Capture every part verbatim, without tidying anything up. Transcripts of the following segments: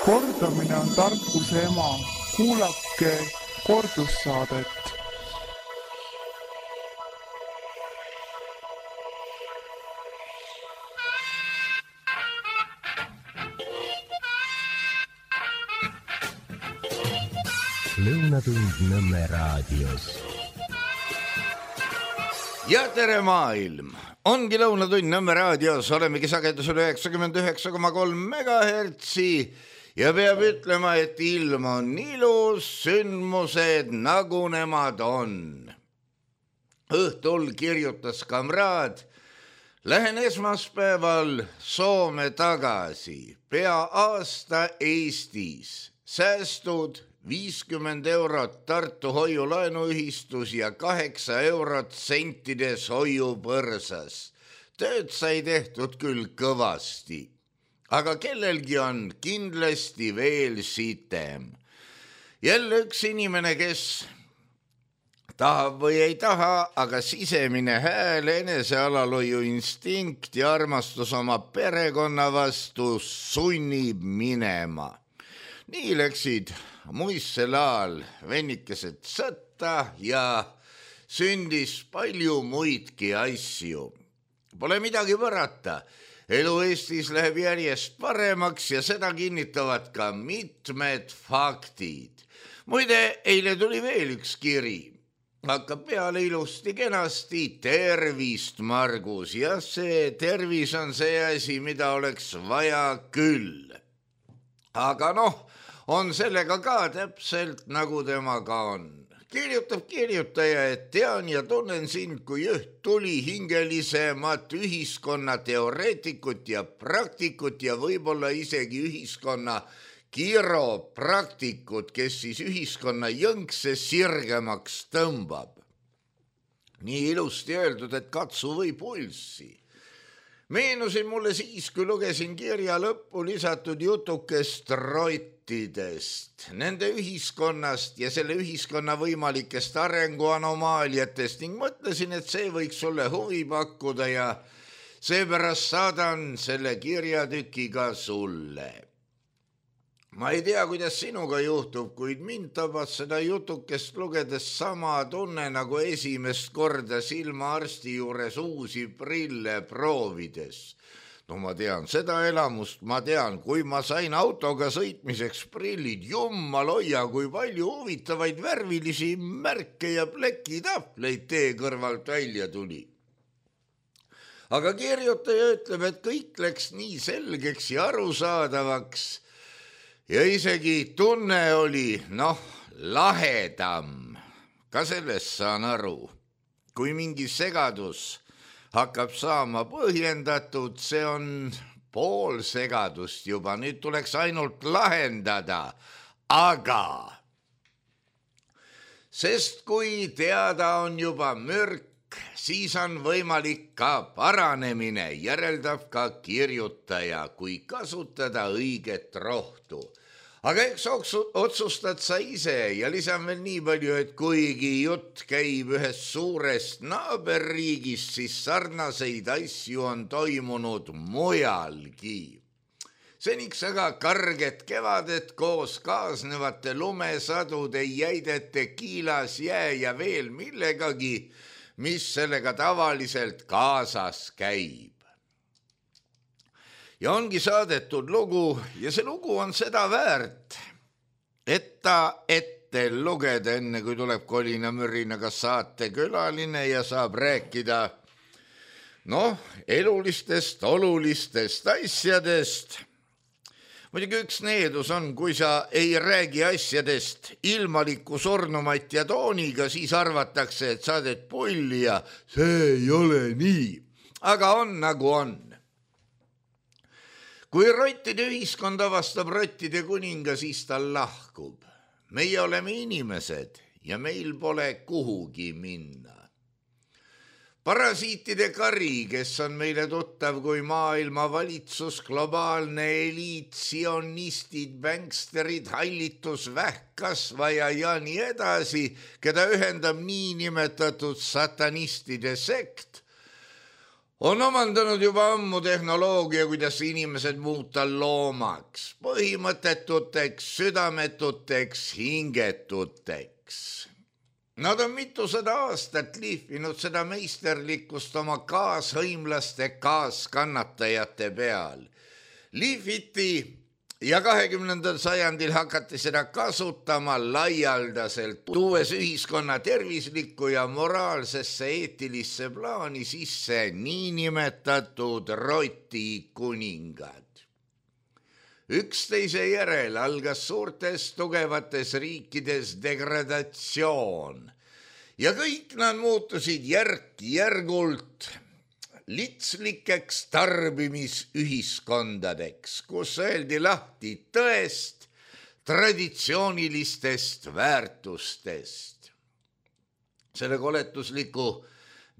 Kordamine on tarkuse ema. Kuulake kordussaadet. Lõunatund Nõmme raadios. Ja tere maailm! Ongi Lõunatund Nõmme raadios, olemegi sagedusel üheksakümmend üheksa koma kolm megahertsi ja peab ütlema, et ilm on ilus, sündmused nagu nemad on. Õhtul kirjutas kamraad, lähen esmaspäeval Soome tagasi, pea aasta Eestis, säästud viiskümmend eurot Tartu hoiulaenuühistus ja kaheksa eurot sentides hoiupõrsas. Tööd sai tehtud küll kõvasti, aga kellelgi on kindlasti veel sitem. Jälle üks inimene, kes tahab või ei taha, aga sisemine hääl, enesealalhoiu instinkt ja armastus oma perekonna vastu sunnib minema. Nii läksid muisselaal vennikesed sõtta ja sündis palju muidki asju. Pole midagi võrata. Elu Eestis läheb järjest paremaks ja seda kinnitavad ka mitmed faktid. Muide, eile tuli veel üks kiri. Hakkab peale ilusti kenasti, tervist, Margus. Ja see tervis on see asi, mida oleks vaja küll. Aga noh, on sellega ka täpselt nagu temaga on. Kirjutab kirjutaja, et tean ja tunnen sind kui üht tuli hingelisemat ühiskonna teoreetikut ja praktikut ja võib-olla isegi ühiskonna kiropraktikut, kes siis ühiskonna jõnkse sirgemaks tõmbab. Nii ilusti öeldud, et katsu või pulssi. Meenusin mulle siis, kui lugesin kirja lõppu lisatud jutukest rottidest, nende ühiskonnast ja selle ühiskonna võimalikest arenguanomaaliatest ning mõtlesin, et see võiks sulle huvi pakkuda ja seepärast saadan selle kirjatükiga sulle. Ma ei tea, kuidas sinuga juhtub, kuid mind tabas seda jutukest lugedes sama tunne nagu esimest korda silmaarsti juures uusi prille proovides. No ma tean seda elamust, ma tean, kui ma sain autoga sõitmiseks prillid, jummal hoia, kui palju huvitavaid värvilisi märke ja plekitahvleid tee kõrvalt välja tuli. Aga kirjutaja ütleb, et kõik läks nii selgeks ja arusaadavaks, ja isegi tunne oli, noh, lahedam. Ka sellest saan aru. Kui mingi segadus hakkab saama põhjendatud, see on pool segadust juba. Nüüd tuleks ainult lahendada. Aga sest kui teada on juba mürk, siis on võimalik ka paranemine, järeldab ka kirjutaja, kui kasutada õiget rohtu. Aga eks otsustad sa ise ja lisan veel nii palju, et kuigi jutt käib ühest suurest naaberriigist, siis sarnaseid asju on toimunud mujalgi. Seniks aga karget kevadet koos kaasnevate lumesadude jäidete kiilas jää ja veel millegagi, mis sellega tavaliselt kaasas käib. Ja ongi saadetud lugu ja see lugu on seda väärt, et ta ette lugeda enne, kui tuleb kolina mürinaga saate külaline ja saab rääkida noh, elulistest, olulistest asjadest. Muidugi üks needus on, kui sa ei räägi asjadest ilmaliku surnumat ja tooniga, siis arvatakse, et saadet pulli ja see ei ole nii. Aga on nagu on. Kui rottide ühiskond avastab rottide kuninga, siis ta lahkub. Meie oleme inimesed ja meil pole kuhugi minna. Parasiitide kari, kes on meile tuttav kui maailma valitsus, globaalne eliit, sionistid, banksterid, hallitus, vähkkasvaja ja nii edasi, keda ühendab nii nimetatud satanistide sekt, on omandanud juba ammu tehnoloogia, kuidas inimesed muuta loomaks, põhimõttetuteks, südametuteks, hingetuteks. Nad on mitusada aastat lihvinud seda meisterlikkust oma kaashõimlaste kaaskannatajate peal. Lihviti ja kahekümnendal sajandil hakati seda kasutama laialdaselt, tuues ühiskonna tervislikku ja moraalsesse eetilisse plaani sisse niinimetatud rotikuningad. Üksteise järel algas suurtes tugevates riikides degradatsioon ja kõik nad muutusid järk-järgult litslikeks tarbimisühiskondadeks, kus öeldi lahti tõest, traditsioonilistest väärtustest. Selle koletusliku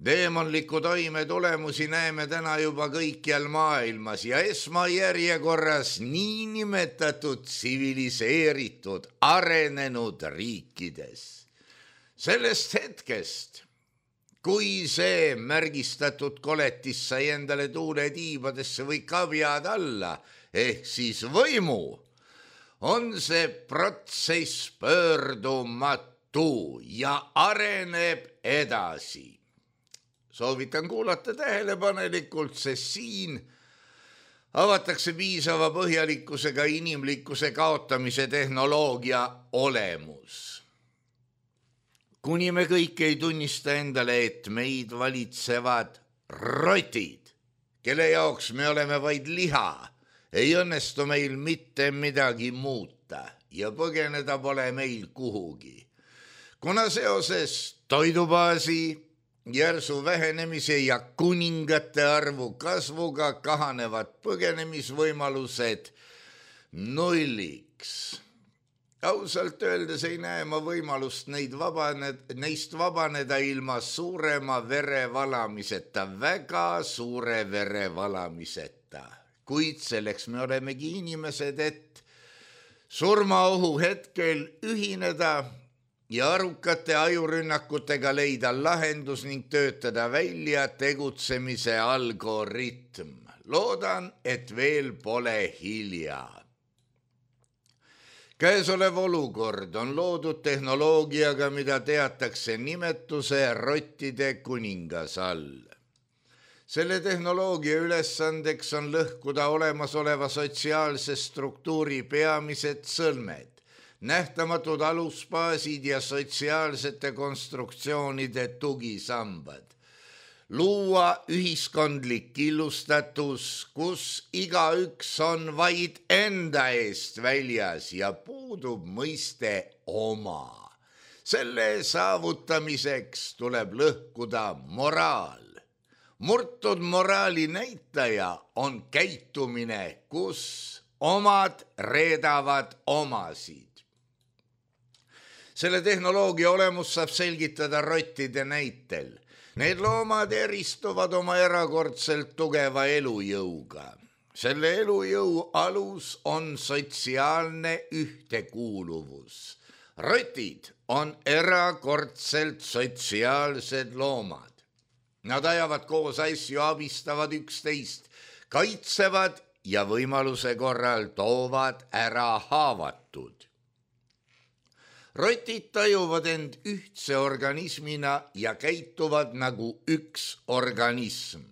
deemonliku toime tulemusi näeme täna juba kõikjal maailmas ja esmajärjekorras niinimetatud tsiviliseeritud arenenud riikides. Sellest hetkest, kui see märgistatud koletis sai endale tuule tiibadesse või kavjad alla, ehk siis võimu, on see protsess pöördumatu ja areneb edasi. Soovitan kuulata tähelepanelikult, sest siin avatakse piisava põhjalikkusega inimlikkuse kaotamise tehnoloogia olemus. Kuni me kõik ei tunnista endale, et meid valitsevad rotid, kelle jaoks me oleme vaid liha, ei õnnestu meil mitte midagi muuta ja põgeneda pole meil kuhugi. Kuna seoses toidubaasi, järsu vähenemise ja kuningate arvu kasvuga kahanevad põgenemisvõimalused nulliks. Ausalt öeldes ei näe ma võimalust neid vabaned, neist vabaneda ilma suurema verevalamiseta, väga suure verevalamiseta. Kuid selleks me olemegi inimesed, et surmaohu hetkel ühineda ja arukate ajurünnakutega leida lahendus ning töötada välja tegutsemise algoritm. Loodan, et veel pole hilja. Käesolev olukord on loodud tehnoloogiaga, mida teatakse nimetuse rottide kuningas all. Selle tehnoloogia ülesandeks on lõhkuda olemasoleva sotsiaalse struktuuri peamised sõlmed, nähtamatud alusbaasid ja sotsiaalsete konstruktsioonide tugisambad. Luua ühiskondlik killustatus, kus igaüks on vaid enda eest väljas ja puudub mõiste oma. Selle saavutamiseks tuleb lõhkuda moraal. Murtud moraali näitaja on käitumine, kus omad reedavad omasid. Selle tehnoloogia olemus saab selgitada rottide näitel. Need loomad eristuvad oma erakordselt tugeva elujõuga. Selle elujõu alus on sotsiaalne ühtekuuluvus. Rotid on erakordselt sotsiaalsed loomad. Nad ajavad koos asju, abistavad üksteist, kaitsevad ja võimaluse korral toovad ära haavatud. Rotid tajuvad end ühtse organismina ja käituvad nagu üks organism.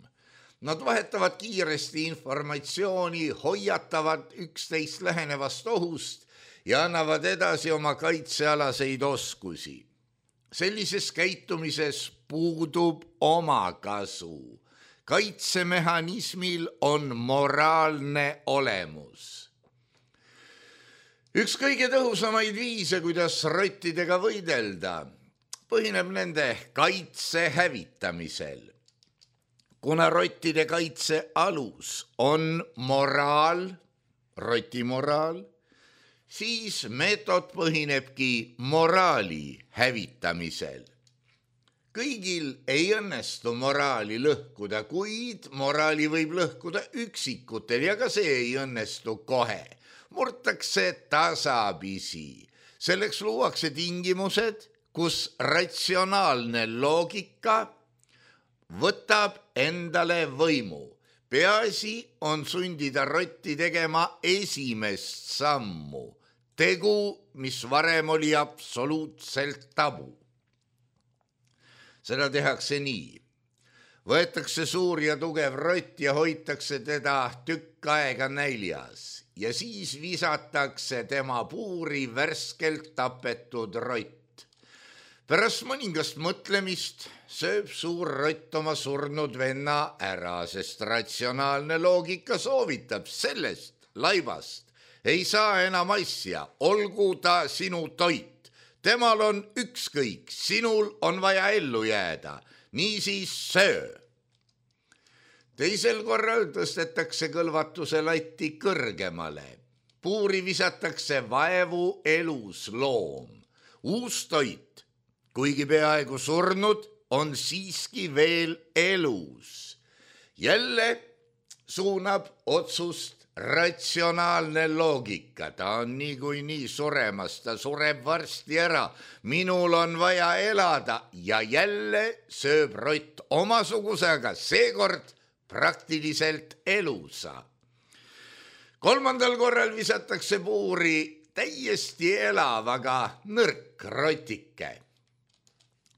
Nad vahetavad kiiresti informatsiooni, hoiatavad üksteist lähenevast ohust ja annavad edasi oma kaitsealaseid oskusi. Sellises käitumises puudub omakasu. Kaitsemehhanismil on moraalne olemus. Üks kõige tõhusamaid viise, kuidas rottidega võidelda, põhineb nende kaitse hävitamisel. Kuna rottide kaitse alus on moraal, roti moraal, siis meetod põhinebki moraali hävitamisel. Kõigil ei õnnestu moraali lõhkuda, kuid moraali võib lõhkuda üksikutel ja ka see ei õnnestu kohe. Murtakse tasapisi. Selleks luuakse tingimused, kus ratsionaalne loogika võtab endale võimu. Peaasi on sundida rotti tegema esimest sammu. Tegu, mis varem oli absoluutselt tabu. Seda tehakse nii. Võetakse suur ja tugev rott ja hoitakse teda tükk aega näljas ja siis visatakse tema puuri värskelt tapetud rott. Pärast mõningast mõtlemist sööb suur rott oma surnud venna ära, sest ratsionaalne loogika soovitab sellest laibast. Ei saa enam asja, olgu ta sinu toit. Temal on ükskõik, sinul on vaja ellu jääda, niisiis söö. Teisel korral tõstetakse kõlvatuse latti kõrgemale. Puuri visatakse vaevu elus loom. Uus toit, kuigi peaaegu surnud, on siiski veel elus. Jälle suunab otsust ratsionaalne loogika, ta on niikuinii suremas, ta sureb varsti ära, minul on vaja elada ja jälle sööb rott omasuguse, aga seekord praktiliselt elusa. Kolmandal korral visatakse puuri täiesti elav, aga nõrk rotike.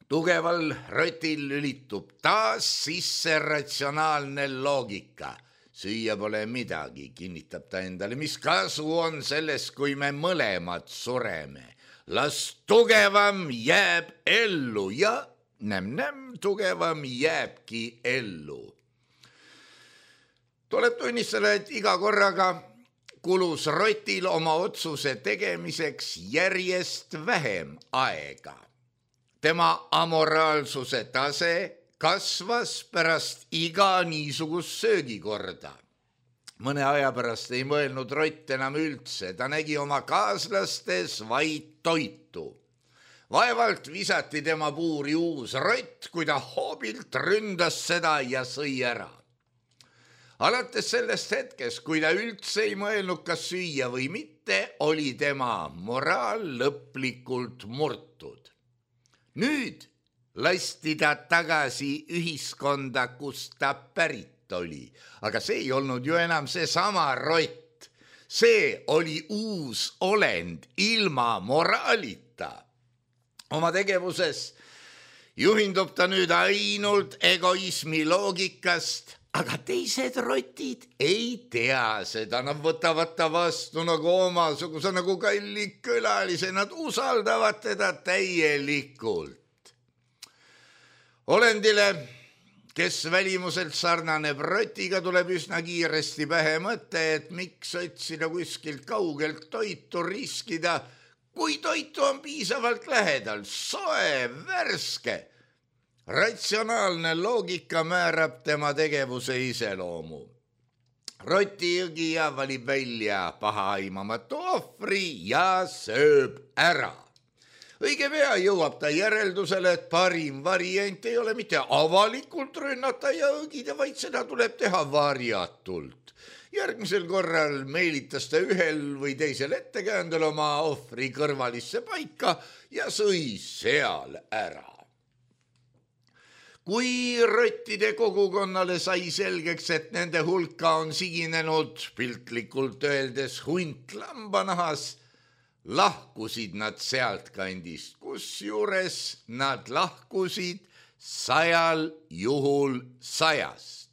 Tugeval rotil lülitub taas sisse ratsionaalne loogika. Süüa pole midagi, kinnitab ta endale, mis kasu on sellest, kui me mõlemad sureme. Las tugevam jääb ellu ja näm-näm tugevam jääbki ellu. Tuleb tunnistada, et iga korraga kulus rotil oma otsuse tegemiseks järjest vähem aega. Tema amoraalsuse tase kasvas pärast iga niisugust söögikorda. Mõne aja pärast ei mõelnud rott enam üldse, ta nägi oma kaaslastes vaid toitu. Vaevalt visati tema puuri uus rott, kui ta hoobilt ründas seda ja sõi ära. Alates sellest hetkest, kui ta üldse ei mõelnud, kas süüa või mitte, oli tema moraal lõplikult murtud. Nüüd lasti ta tagasi ühiskonda, kus ta pärit oli. Aga see ei olnud ju enam seesama rott. See oli uus olend ilma moraalita. Oma tegevuses juhindub ta nüüd ainult egoismi loogikast, aga teised rotid ei tea seda. Nad võtavad ta vastu nagu omasuguse, nagu kalli külalise. Nad usaldavad teda täielikult. Olendile, kes välimuselt sarnaneb rotiga, tuleb üsna kiiresti pähe mõte, et miks otsida kuskilt kaugelt toitu, riskida, kui toitu on piisavalt lähedal, soe, värske. Ratsionaalne loogika määrab tema tegevuse iseloomu. Roti jõgija valib välja pahaaimamatu ohvri ja sööb ära. Õige pea jõuab ta järeldusele, et parim variant ei ole mitte avalikult rünnata ja õgida, vaid seda tuleb teha varjatult. Järgmisel korral meelitas ta ühel või teisel ettekäändel oma ohvri kõrvalisse paika ja sõi seal ära. Kui rottide kogukonnale sai selgeks, et nende hulka on siginenud piltlikult öeldes hunt lambanahas, lahkusid nad sealt kandist, kusjuures nad lahkusid sajal juhul sajast.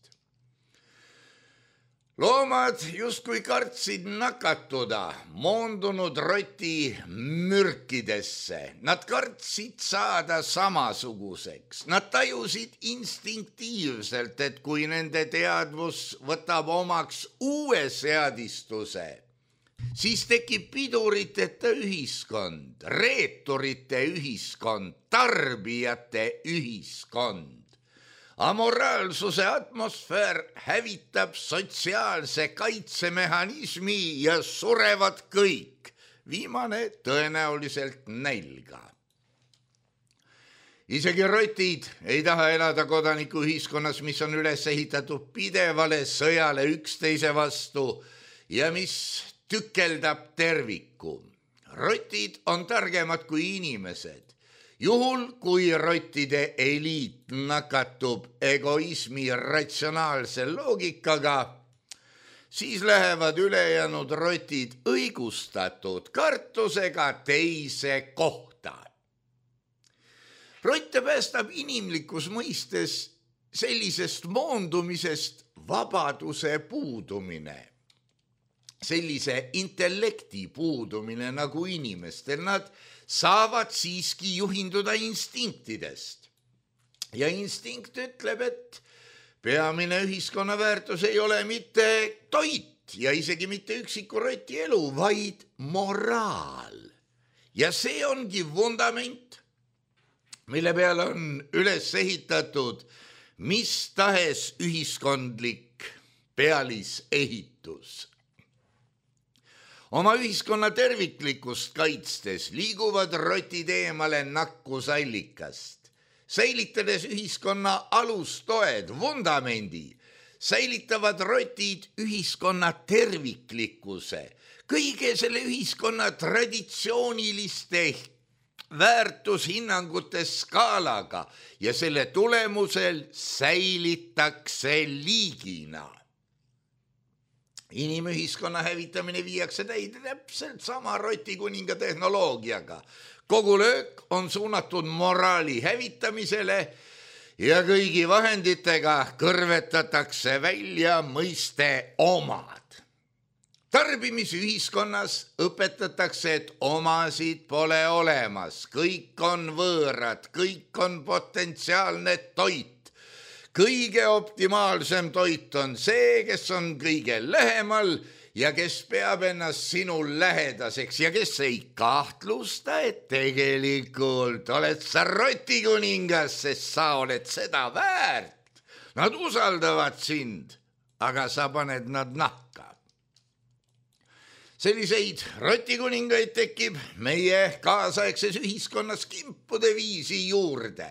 Loomad justkui kartsid nakatuda moondunud roti mürkidesse. Nad kartsid saada samasuguseks. Nad tajusid instinktiivselt, et kui nende teadvus võtab omaks uue seadistuse, siis tekib piduriteta ühiskond, reeturite ühiskond, tarbijate ühiskond. Amoraalsuse atmosfäär hävitab sotsiaalse kaitsemehhanismi ja surevad kõik, viimane tõenäoliselt nälga. Isegi rotid ei taha elada kodanikuühiskonnas, mis on üles ehitatud pidevale sõjale üksteise vastu ja mis tükeldab terviku. Rotid on targemad kui inimesed Juhul, kui rottide eliit nakatub egoismi ratsionaalse loogikaga, siis lähevad ülejäänud rotid õigustatud kartusega teise kohta. Rotte päästab inimlikus mõistes sellisest moondumisest vabaduse puudumine, sellise intellekti puudumine nagu inimestel. Nad saavad siiski juhinduda instinktidest. Ja instinkt ütleb, et peamine ühiskonna väärtus ei ole mitte toit ja isegi mitte üksiku roti elu, vaid moraal. Ja see ongi vundament, mille peale on üles ehitatud mis tahes ühiskondlik pealisehitus. Oma ühiskonna terviklikkust kaitstes liiguvad rotid eemale nakkusallikast, säilitades ühiskonna alustoed, vundamendi, säilitavad rotid ühiskonna terviklikkuse, kõige selle ühiskonna traditsiooniliste väärtushinnangute skaalaga ja selle tulemusel säilitakse liigina. Inimühiskonna hävitamine viiakse täide täpselt sama rotikuninga tehnoloogiaga. Kogu löök on suunatud moraali hävitamisele ja kõigi vahenditega kõrvetatakse välja mõiste omad. Tarbimisühiskonnas õpetatakse, et omasid pole olemas, kõik on võõrad, kõik on potentsiaalne toit. Kõige optimaalsem toit on see, kes on kõige lähemal ja kes peab ennast sinul lähedaseks ja kes ei kahtlusta, et tegelikult oled sa rotikuningas, sest sa oled seda väärt. Nad usaldavad sind, aga sa paned nad nahka. Selliseid rotikuningaid tekib meie kaasaegses ühiskonnas kimpude viisi juurde.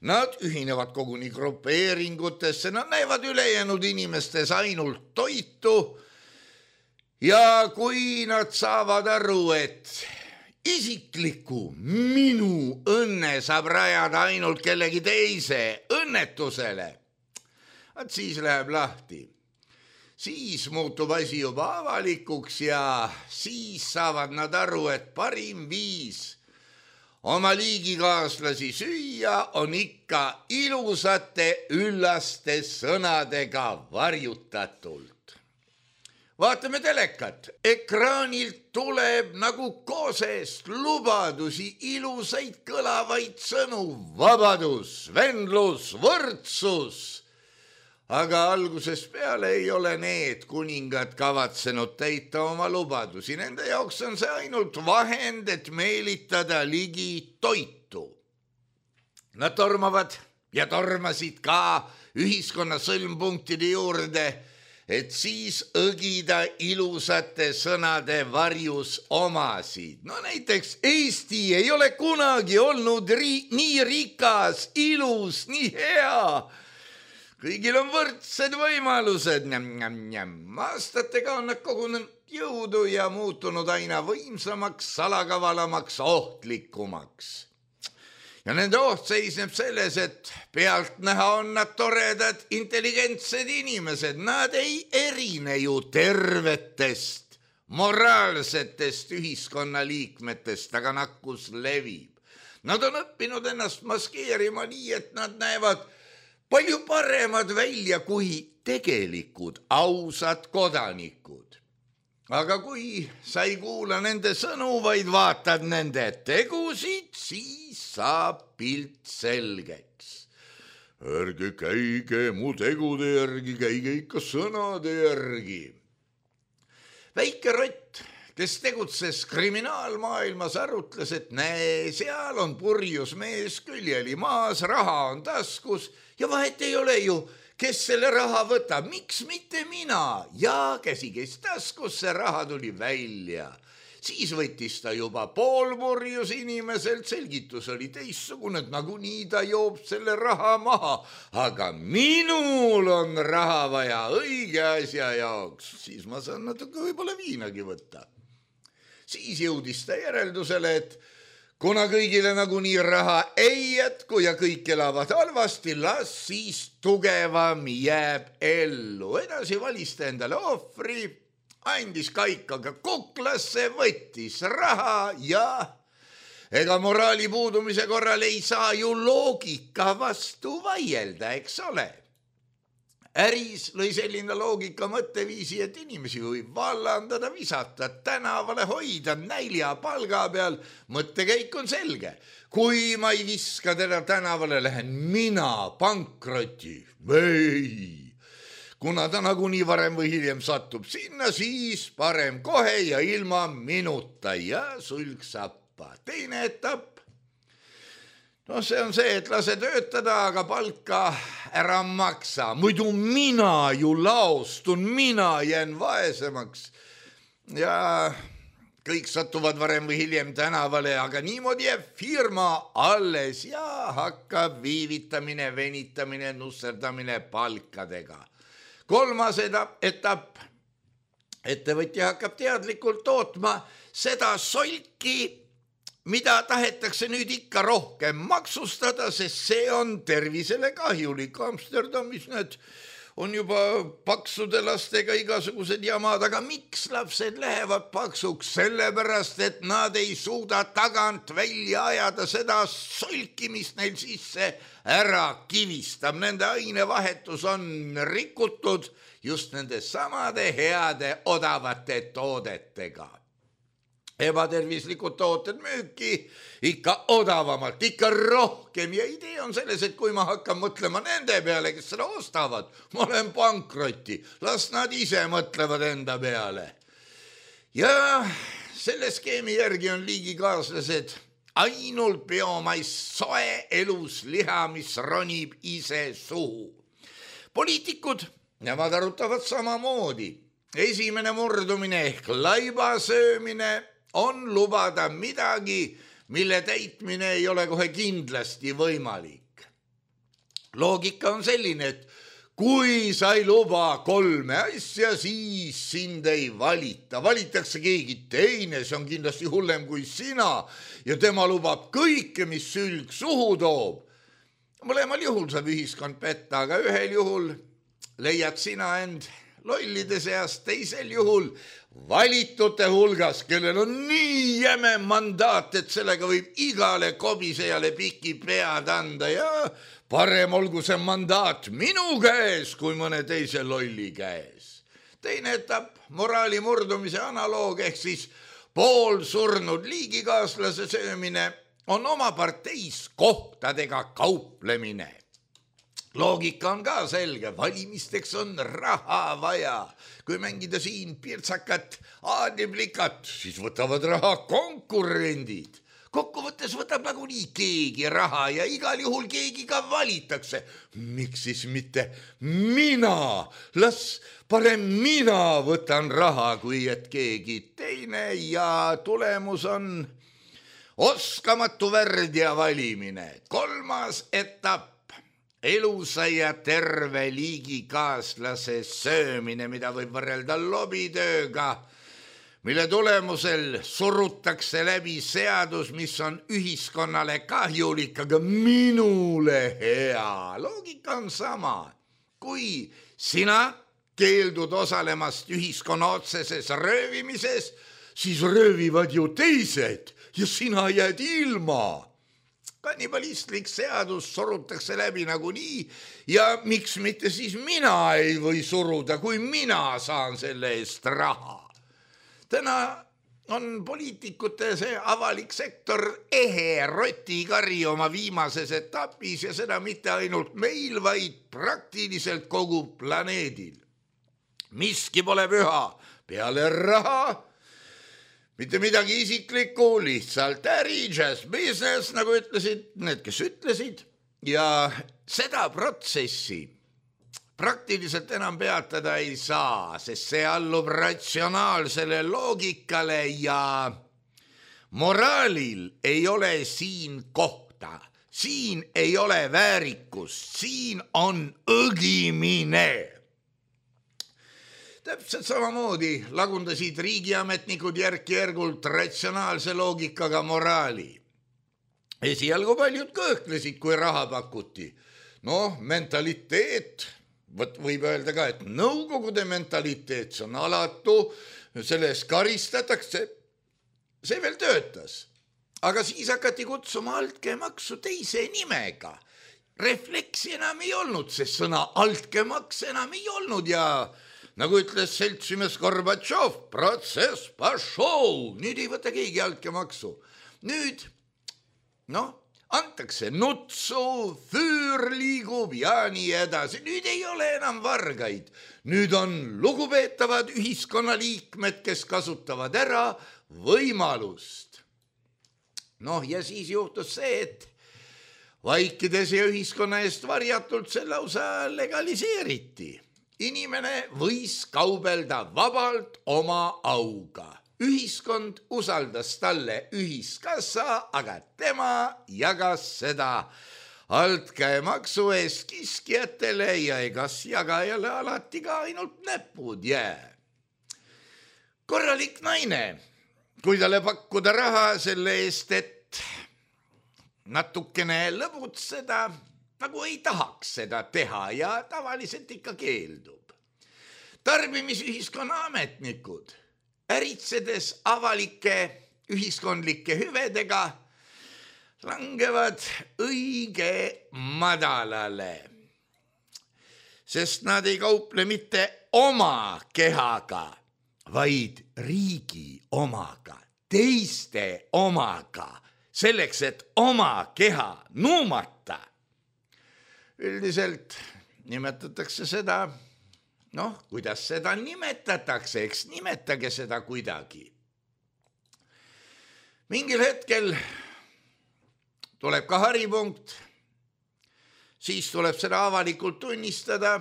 Nad ühinevad koguni grupeeringutesse, nad näevad ülejäänud inimestes ainult toitu ja kui nad saavad aru, et isikliku minu õnne saab rajada ainult kellegi teise õnnetusele, et siis läheb lahti. Siis muutub asi juba avalikuks ja siis saavad nad aru, et parim viis oma liigikaaslasi süüa on ikka ilusate üllaste sõnadega varjutatult. Vaatame telekat. Ekraanilt tuleb nagu koosest lubadusi, ilusaid kõlavaid sõnu, vabadus, vendlus, võrdsus. Aga algusest peale ei ole need kuningad kavatsenud täita oma lubadusi. Nende jaoks on see ainult vahend, et meelitada ligi toitu. Nad tormavad ja tormasid ka ühiskonna sõlmpunktide juurde, et siis õgida ilusate sõnade varjus omasid. No näiteks Eesti ei ole kunagi olnud ri- nii rikas, ilus, nii hea. Kõigil on võrdsed võimalused. Aastatega on nad kogunenud jõudu ja muutunud aina võimsamaks, salakavalamaks, ohtlikumaks. Ja nende oht seisneb selles, et pealt näha on nad toredad, intelligentsed inimesed. Nad ei erine ju tervetest, moraalsetest ühiskonnaliikmetest, aga nakkus levib. Nad on õppinud ennast maskeerima nii, et nad näevad palju paremad välja kui tegelikud ausad kodanikud. Aga kui sa ei kuula nende sõnu, vaid vaatad nende tegusid, siis saab pilt selgeks. Ärge käige mu tegude järgi, käige ikka sõnade järgi. Väike rott, kes tegutses kriminaalmaailmas, arutles, et näe, seal on purjus mees, küljeli maas, raha on taskus ja vahet ei ole ju, kes selle raha võtab, miks mitte mina? Ja käsi käis taskus, see raha tuli välja. Siis võttis ta juba poolpurjus inimeselt, selgitus oli teissugune, et nagunii ta joob selle raha maha. Aga minul on raha vaja õige asja jaoks, siis ma saan natuke võib-olla viinagi võtta. Siis jõudis ta järeldusele, et kuna kõigile nagunii raha ei jätku ja kõik elavad halvasti, las siis tugevam jääb ellu. Edasi valis ta endale ohvri, andis kaikaga kuklasse, võttis raha ja ega moraali puudumise korral ei saa ju loogika vastu vaielda, eks ole. Äris lõi selline loogika mõtteviisi, et inimesi võib vallandada, visata tänavale, hoida nälja palga peal. Mõttekäik on selge. Kui ma ei viska teda tänavale, lähen mina pankroti. Ei. Kuna ta nagunii varem või hiljem satub sinna, siis parem kohe ja ilma minuta ja sulg sappa. Teine etapp. No see on see, et lase töötada, aga palka ära maksa. Muidu mina ju laostun, mina jään vaesemaks. Ja kõik satuvad varem või hiljem tänavale, aga niimoodi jääb firma alles ja hakkab viivitamine, venitamine, nusserdamine palkadega. Kolmas etapp. Ettevõtja hakkab teadlikult tootma seda solki, mida tahetakse nüüd ikka rohkem maksustada, sest see on tervisele kahjulik. Amsterdamis need on juba paksude lastega igasugused jamad, aga miks lapsed lähevad paksuks? Sellepärast, et nad ei suuda tagant välja ajada seda solki, mis neil sisse ära kivistab. Nende ainevahetus on rikutud just nende samade heade odavate toodetega. Ebatervislikud tooted müüki ikka odavamalt, ikka rohkem ja idee on selles, et kui ma hakkan mõtlema nende peale, kes seda ostavad, ma olen pankroti, las nad ise mõtlevad enda peale. Ja selle skeemi järgi on liigikaaslased ainult biomais soe elus liha, mis ronib ise suhu. Poliitikud, nemad arutavad samamoodi. Esimene murdumine ehk laiba söömine on lubada midagi, mille täitmine ei ole kohe kindlasti võimalik. Loogika on selline, et kui sa ei luba kolme asja, siis sind ei valita. Valitakse keegi teine, see on kindlasti hullem kui sina ja tema lubab kõike, mis sülg suhu toob. Mõlemal juhul saab ühiskond petta, aga ühel juhul leiad sina end lollide seast, teisel juhul valitute hulgas, kellel on nii jäme mandaat, et sellega võib igale kobisejale piki pead anda ja parem olgu see mandaat minu käes kui mõne teise lolli käes. Teine etapp, moraali murdumise analoog ehk siis poolsurnud liigikaaslase söömine on oma parteis kohtadega kauplemine. Loogika on ka selge, valimisteks on raha vaja. Kui mängida siin pirtsakat, aadiblikat, siis võtavad raha konkurendid. Kokkuvõttes võtab nagunii keegi raha ja igal juhul keegi ka valitakse. Miks siis mitte mina? Las parem mina võtan raha, kui et keegi teine ja tulemus on oskamatu värdja valimine. Kolmas etapp. Elusa ja terve liigikaaslase söömine, mida võib võrrelda lobitööga, mille tulemusel surutakse läbi seadus, mis on ühiskonnale kahjulik, aga minule hea. Loogika on sama. Kui sina keeldud osalemast ühiskonna otseses röövimises, siis röövivad ju teised ja sina jääd ilma. Kannibalistlik seadus surutakse läbi nagunii ja miks mitte siis mina ei või suruda, kui mina saan selle eest raha. Täna on poliitikute see avalik sektor ehe rotikari oma viimases etapis ja seda mitte ainult meil, vaid praktiliselt kogu planeedil. Miski pole püha peale raha. Mitte midagi isiklikku, lihtsalt äri, just business, nagu ütlesid need, kes ütlesid. Ja seda protsessi praktiliselt enam peatada ei saa, sest see allub ratsionaalsele loogikale ja moraalil ei ole siin kohta. Siin ei ole väärikust, siin on õgimine. Täpselt samamoodi lagundasid riigiametnikud järk-järgult ratsionaalse loogikaga moraali. esialgu paljud kõhklesid, kui raha pakuti. Noh, mentaliteet, võt võib öelda ka, et nõukogude mentaliteet, see on alatu, selles karistatakse, see veel töötas. Aga siis hakati kutsuma altkäemaksu teise nimega. Refleksi enam ei olnud, sest sõna altkäemaks enam ei olnud ja nagu ütles seltsimees Gorbatšov, protsess pašov, nüüd ei võta keegi altkäemaksu. Nüüd, noh, antakse nutsu, füür liigub ja nii edasi. Nüüd ei ole enam vargaid. Nüüd on lugupeetavad ühiskonnaliikmed, kes kasutavad ära võimalust. Noh, ja siis juhtus see, et vaikides ja ühiskonna eest varjatult see lausa legaliseeriti. Inimene võis kaubelda vabalt oma auga. Ühiskond usaldas talle ühiskassa, aga tema jagas seda altkäemaksu eest kiskjatele ja egas jagajale alati ka ainult näpud jää. Korralik naine, kui talle pakkuda raha selle eest, et natukene lõbutseda, nagu ei tahaks seda teha ja tavaliselt ikka keeldub. Tarbimisühiskonna ametnikud, äritsedes avalike ühiskondlike hüvedega, langevad õige madalale, sest nad ei kauple mitte oma kehaga, vaid riigi omaga, teiste omaga, selleks, et oma keha nuumata. Üldiselt nimetatakse seda, noh, kuidas seda nimetatakse, eks nimetage seda kuidagi. Mingil hetkel tuleb ka haripunkt, siis tuleb seda avalikult tunnistada,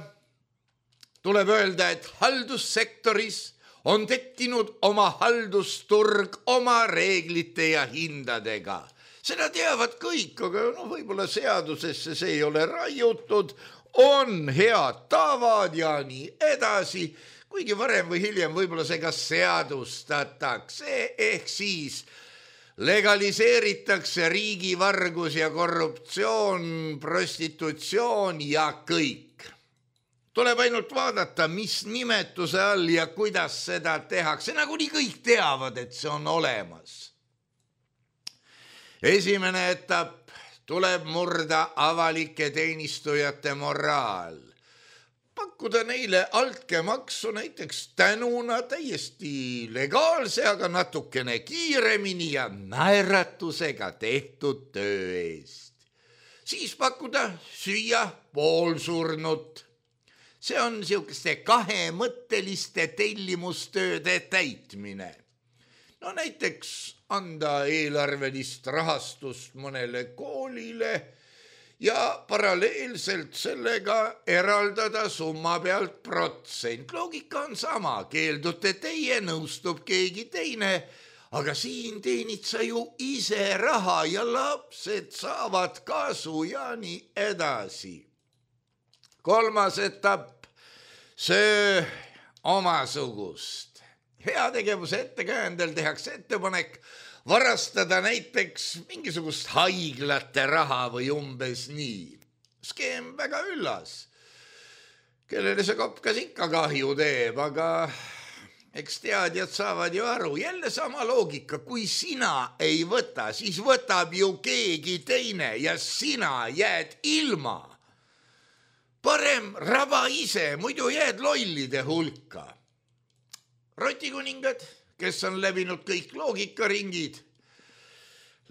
tuleb öelda, et haldussektoris on tekkinud oma haldusturg oma reeglite ja hindadega. Seda teavad kõik, aga no, võib-olla seadusesse see ei ole raiutud, on head tavad ja nii edasi, kuigi varem või hiljem võib-olla see ka seadustatakse, ehk siis legaliseeritakse riigivargus ja korruptsioon, prostitutsioon ja kõik. Tuleb ainult vaadata, mis nimetuse all ja kuidas seda tehakse. Nagu nii kõik teavad, et see on olemas. Esimene etapp, tuleb murda avalike teenistujate moraal. Pakkuda neile altkäemaksu näiteks tänuna täiesti legaalse, aga natukene kiiremini ja naeratusega tehtud töö eest. Siis pakkuda süüa poolsurnut. See on niisuguste kahemõtteliste tellimustööde täitmine. No näiteks anda eelarvelist rahastust mõnele koolile ja paralleelselt sellega eraldada summa pealt protsent. Loogika on sama, keeldute teie, nõustub keegi teine, aga siin teenid sa ju ise raha ja lapsed saavad kasu ja nii edasi. Kolmas etapp, söö omasugust. Heategevuse ettekäändel tehakse ettepanek varastada näiteks mingisugust haiglate raha või umbes nii. Skeem väga üllas. Kellele see kopkas ikka kahju teeb, aga eks teadjad saavad ju aru. Jälle sama loogika, kui sina ei võta, siis võtab ju keegi teine ja sina jääd ilma. Parem raba ise, muidu jääd lollide hulka. Rotikuningad, kes on läbinud kõik loogikaringid,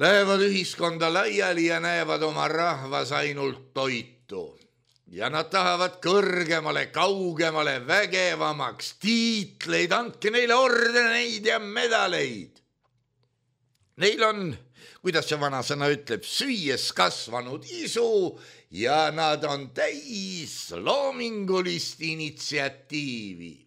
lähevad ühiskonda laiali ja näevad oma rahvas ainult toitu. Ja nad tahavad kõrgemale, kaugemale, vägevamaks, tiitleid, andke neile ordeneid ja medaleid. Neil on, kuidas see vanasõna ütleb, süües kasvanud isu ja nad on täis loomingulist initsiatiivi.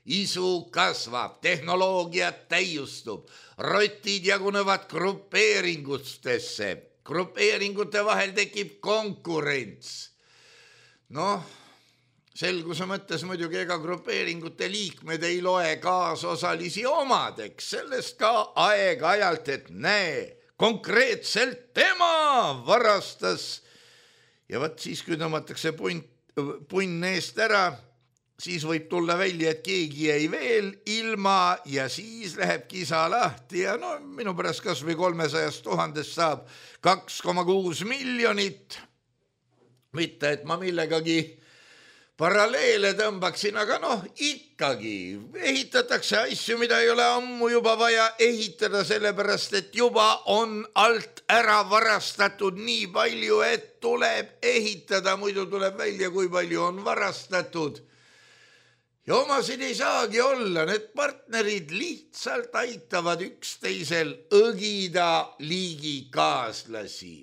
Isu kasvab, tehnoloogiat täiustub, rotid jagunevad grupeeringutesse, grupeeringute vahel tekib konkurents. Noh, selguse mõttes muidugi ega grupeeringute liikmed ei loe kaasosalisi omadeks, sellest ka aeg-ajalt, et näe, konkreetselt tema varastas. Ja vaat siis, kui tõmmatakse punn, punn eest ära, siis võib tulla välja, et keegi jäi veel ilma ja siis läheb kisa lahti ja no minu pärast kas või kolmesajast tuhandest saab kaks koma kuus miljonit. Mitte, et ma millegagi paralleele tõmbaksin, aga noh, ikkagi ehitatakse asju, mida ei ole ammu juba vaja ehitada, sellepärast, et juba on alt ära varastatud nii palju, et tuleb ehitada, muidu tuleb välja, kui palju on varastatud. Ja omasid ei saagi olla, need partnerid lihtsalt aitavad üksteisel õgida liigikaaslasi.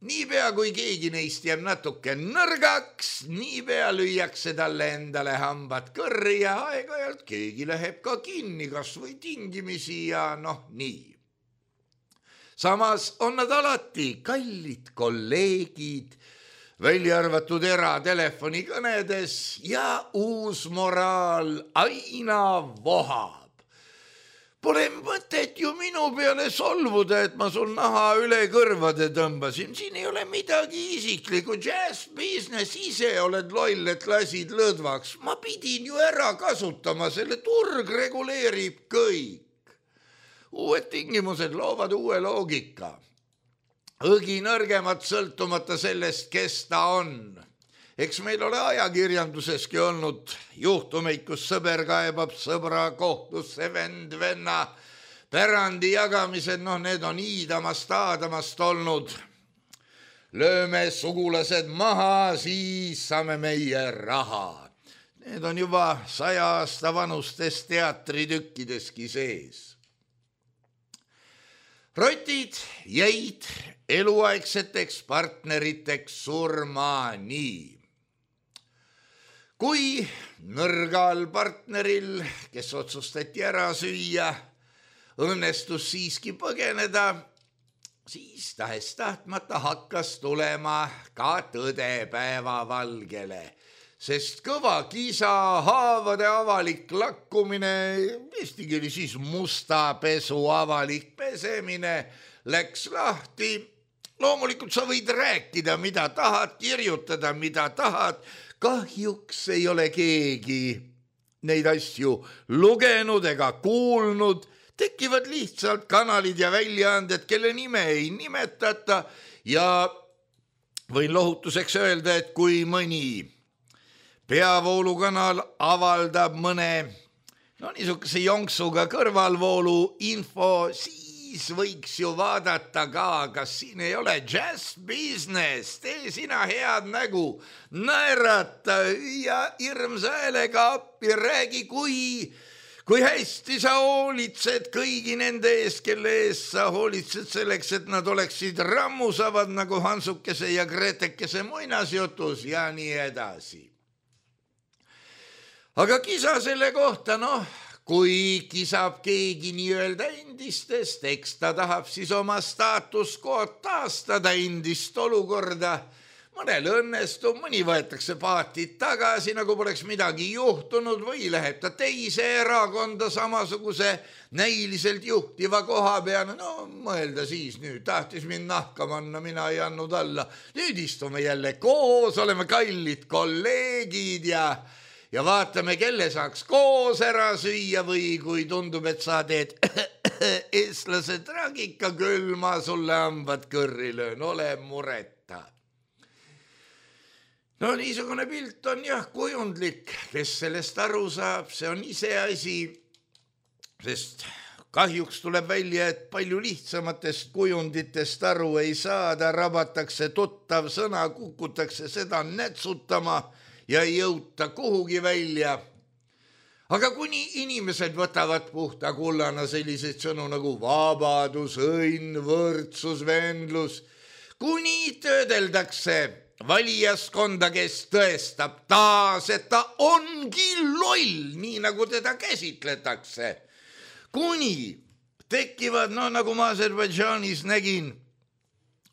Niipea kui keegi neist jääb natuke nõrgaks, niipea lüüakse talle endale hambad kõrri ja aeg-ajalt keegi läheb ka kinni, kas või tingimisi ja noh nii. Samas on nad alati kallid kolleegid, välja arvatud eratelefonikõnedes ja uus moraal aina vohab. Pole mõtet ju minu peale solvuda, et ma sul naha üle kõrvade tõmbasin. Siin ei ole midagi isiklikku. Jazz business ise oled loll, et lasid lõdvaks. Ma pidin ju ära kasutama, selle turg reguleerib kõik. Uued tingimused loovad uue loogika. Õgi nõrgemat sõltumata sellest, kes ta on. Eks meil ole ajakirjanduseski olnud juhtumeid, kus sõber kaebab sõbra kohtusse, vend venna pärandi jagamised, noh need on iidamast aadamast olnud. Lööme sugulased maha, siis saame meie raha. Need on juba saja aasta vanustes teatritükkideski sees. Rotid jäid eluaegseteks partneriteks surmani. Kui nõrgal partneril, kes otsustati ära süüa, õnnestus siiski põgeneda, siis tahes tahtmata hakkas tulema ka tõde päevavalgele, sest kõva kisa, haavade avalik lakkumine, eesti keeli siis musta pesu avalik pesemine läks lahti. Loomulikult sa võid rääkida, mida tahad, kirjutada, mida tahad. Kahjuks ei ole keegi neid asju lugenud ega kuulnud. Tekivad lihtsalt kanalid ja väljaanded, kelle nime ei nimetata ja võin lohutuseks öelda, et kui mõni peavoolukanal avaldab mõne no niisuguse jonksuga kõrvalvoolu info, siis võiks ju vaadata ka, kas siin ei ole jazz business, tee sina head nägu, naerata ja hirmsa häälega appi, räägi, kui, kui hästi sa hoolitsed kõigi nende ees, kelle ees sa hoolitsed selleks, et nad oleksid rammusavad nagu Hansukese ja Gretekese muinasjutus ja nii edasi. Aga kisa selle kohta, noh, kui kisab keegi nii-öelda endistest, eks ta tahab siis oma staatuskood taastada endist olukorda. Mõnel õnnestub, mõni võetakse paatid tagasi, nagu poleks midagi juhtunud või läheb ta teise erakonda samasuguse näiliselt juhtiva koha peale. No mõelda siis nüüd, tahtis mind nahka manna, mina ei andnud alla. Nüüd istume jälle koos, oleme kallid kolleegid ja... ja vaatame, kelle saaks koos ära süüa või kui tundub, et sa teed eestlase tragika küll, ma sulle hambad kõrri löön, ole mureta. No niisugune pilt on jah kujundlik, kes sellest aru saab, see on ise asi, sest kahjuks tuleb välja, et palju lihtsamatest kujunditest aru ei saada, rabatakse tuttav sõna, kukutakse seda nätsutama ja ei jõuta kuhugi välja. Aga kuni inimesed võtavad puhta kullana selliseid sõnu nagu vabadus, õnn, võrdsus, vendlus, kuni töödeldakse valijaskonda, kes tõestab taas, et ta ongi loll, nii nagu teda käsitletakse. Kuni tekivad, no nagu ma Aserbaidžaanis nägin,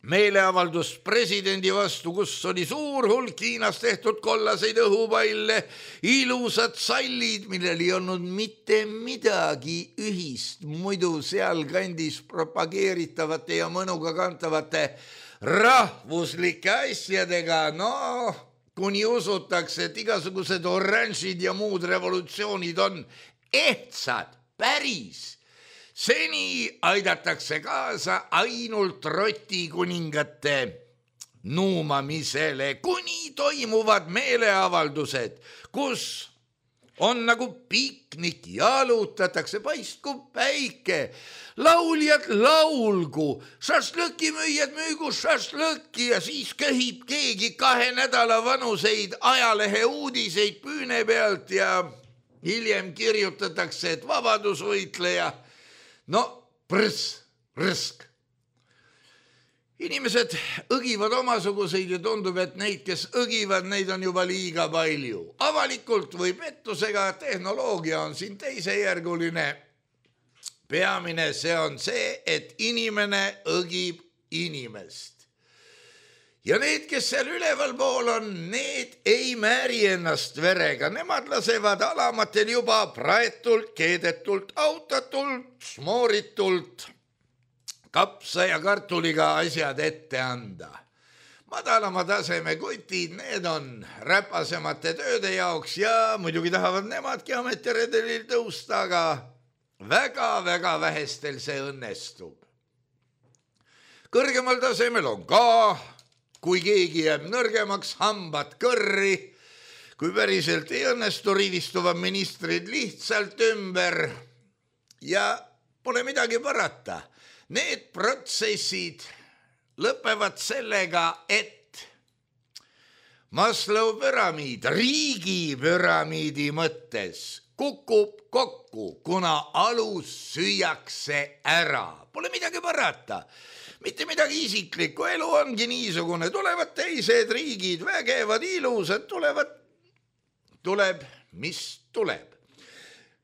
meeleavaldus presidendi vastu, kus oli suur hulk Hiinas tehtud kollaseid õhupalle, ilusad sallid, millel ei olnud mitte midagi ühist muidu sealkandis propageeritavate ja mõnuga kantavate rahvuslike asjadega. No, kuni usutakse, et igasugused oranžid ja muud revolutsioonid on ehtsad, päris. Seni aidatakse kaasa ainult rotikuningate nuumamisele, kuni toimuvad meeleavaldused, kus on nagu piknik, jalutatakse, paistku päike, lauljad laulgu, šašlõkimüüjad müügu šašlõkki ja siis köhib keegi kahe nädala vanuseid ajalehe uudiseid püüne pealt ja hiljem kirjutatakse, et vabadusvõitleja. No, prõs, rõsk. Inimesed õgivad omasuguseid ja tundub, et neid, kes õgivad, neid on juba liiga palju. Avalikult või pettusega tehnoloogia on siin teisejärguline. Peamine see on see, et inimene õgib inimest. Ja need, kes seal üleval pool on, need ei määri ennast verega. Nemad lasevad alamatel juba praetult, keedetult, autatult, smooritult, kapsa ja kartuliga asjad ette anda. Madalama taseme kutid, need on räpasemate tööde jaoks ja muidugi tahavad nemadki ametiredelil tõusta, aga väga-väga vähestel see õnnestub. Kõrgemal tasemel on ka, kui keegi jääb nõrgemaks, hambad kõrri, kui päriselt ei õnnestu, rivistuvad ministrid lihtsalt ümber ja pole midagi parata. Need protsessid lõpevad sellega, et Maslow püramiid riigi püramiidi mõttes kukub kokku, kuna alus süüakse ära. Pole midagi parata. Mitte midagi isiklikku, elu ongi niisugune, tulevad teised riigid, vägevad, ilusad, tulevad, tuleb, mis tuleb.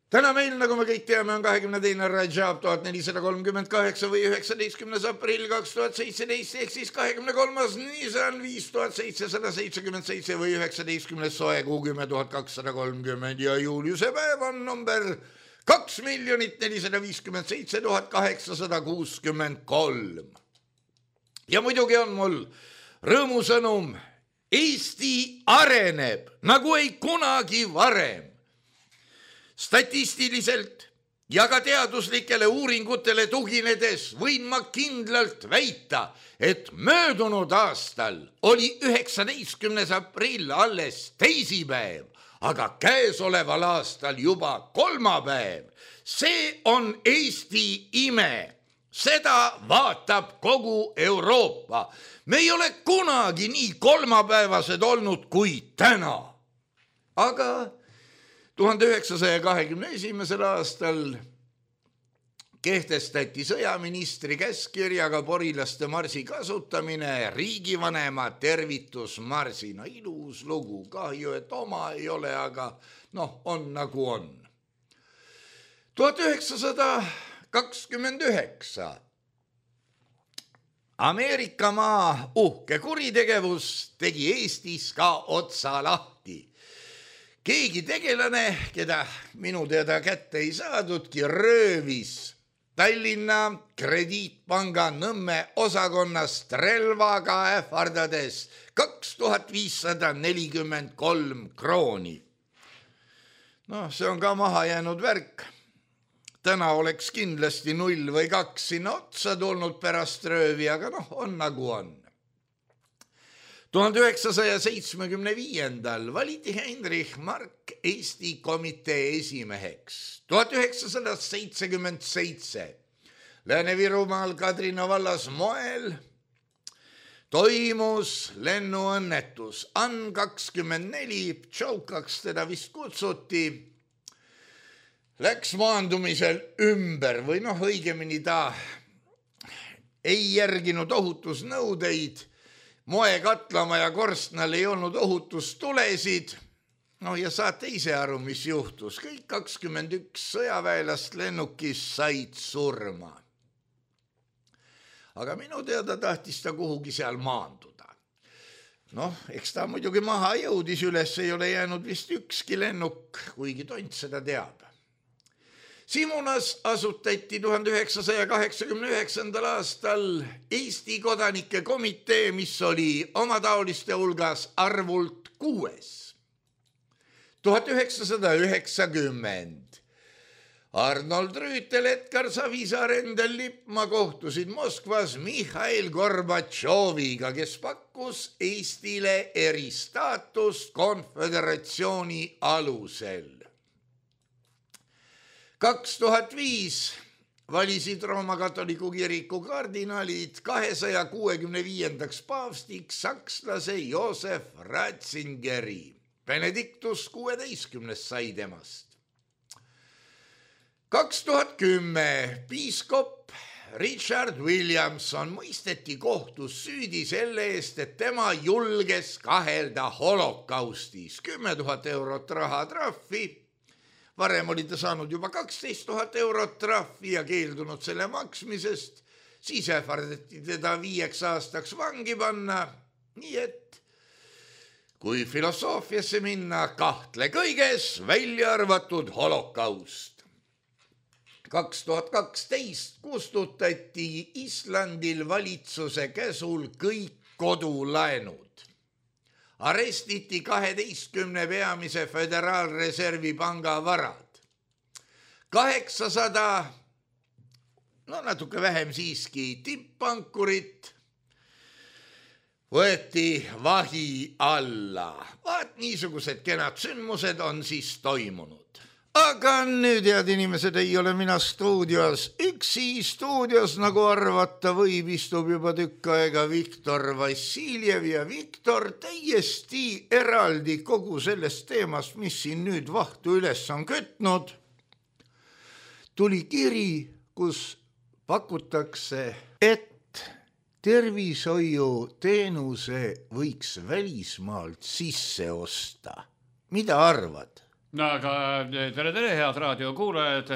Täna meil, nagu me kõik teame, on kahekümne teine Rajab tuhat nelisada kolmkümmend kaheksa või üheksateistkümnes aprill kaks tuhat seitseteist, ehk siis kahekümne kolmas Nisan viis tuhat seitsesada seitsekümmend seitse või üheksateistkümnes soe kuu kümme tuhat kakssada kolmkümmend ja juuliuse päev on number kaks miljonit nelisada viiskümmend seitse tuhat kaheksasada kuuskümmend kolm. Ja muidugi on mul rõõmusõnum, Eesti areneb nagu ei kunagi varem. Statistiliselt ja ka teaduslikele uuringutele tuginedes võin ma kindlalt väita, et möödunud aastal oli üheksateistkümnes aprill alles teisipäev, aga käesoleval aastal juba kolmapäev. See on Eesti ime. Seda vaatab kogu Euroopa. Me ei ole kunagi nii kolmapäevased olnud kui täna. Aga tuhande üheksasaja kahekümne esimesel aastal kehtestati sõjaministri käskkirjaga porilaste marsi kasutamine riigivanema tervitusmarsina. Ilus lugu, kahju, et oma ei ole, aga noh, on nagu on. tuhat üheksasada kakskümmend üheksa. Ameerika maa uhke kuritegevus tegi Eestis ka otsa lahti. Keegi tegelane, keda minu teada kätte ei saadudki, röövis Tallinna krediitpanga Nõmme osakonnast relvaga ähvardades kaks tuhat viissada nelikümmend kolm krooni. No, see on ka maha jäänud värk. Täna oleks kindlasti null või kaks sinna otsa tulnud pärast röövi, aga noh, on nagu on. tuhande üheksasaja seitsmekümne viiendal valiti Heinrich Mark Eesti komitee esimeheks. tuhat üheksasada seitsekümmend seitse Lääne-Virumaal Kadrina vallas Moel toimus lennuõnnetus. An kakskümmend neli, Pšolkaks teda vist kutsuti, läks maandumisel ümber või noh, õigemini ta ei järginud ohutusnõudeid. Moekatlamaja korstnal ei olnud ohutustulesid. No ja saate ise aru, mis juhtus. Kõik kakskümmend üks sõjaväelast lennukis said surma. aga minu teada tahtis ta kuhugi seal maanduda. Noh, eks ta muidugi maha jõudis, üles ei ole jäänud vist ükski lennuk, kuigi tont seda teab. Simunas asutati tuhande üheksasaja kaheksakümne üheksandal aastal Eesti kodanike komitee, mis oli omataoliste hulgas arvult kuues. tuhat üheksasada üheksakümmend Arnold Rüütel, Edgar Savisaar, Endel Lippmaa kohtusid Moskvas Mihhail Gorbatšoviga, kes pakkus Eestile eristaatust konföderatsiooni alusel. kaks tuhat viis valisid Rooma katoliku kiriku kardinaalid kahesaja kuuekümne viiendaks paavstiks sakslase Josef Ratzingeri. Benedictus kuueteistkümnes sai temast. kaks tuhat kümme piiskop Richard Williamson mõisteti kohtus süüdi selle eest, et tema julges kahelda holokaustis. kümme tuhat eurot rahatrahvi. Varem oli ta saanud juba kaksteist tuhat eurot trahvi ja keeldunud selle maksmisest. Siis ähvardati teda viieks aastaks vangi panna. Nii et kui filosoofiasse minna, kahtle kõiges, välja arvatud holokaust. kaks tuhat kaksteist kustutati Islandil valitsuse käsul kõik kodulaenud. Arestiti kaheteistkümne peamise föderaalreservi panga varad. kaheksasada, no natuke vähem siiski, tipppankurit võeti vahi alla. Vaat niisugused kenad sündmused on siis toimunud. Aga nüüd, head inimesed, ei ole mina stuudios. Üksi stuudios, nagu arvata võib, istub juba tükk aega Viktor Vassiljev ja Viktor täiesti eraldi kogu sellest teemast, mis siin nüüd vahtu üles on kütnud. Tuli kiri, kus pakutakse, et tervishoiuteenuse võiks välismaalt sisse osta. Mida arvad? No aga tere, tere, head raadiokuulajad.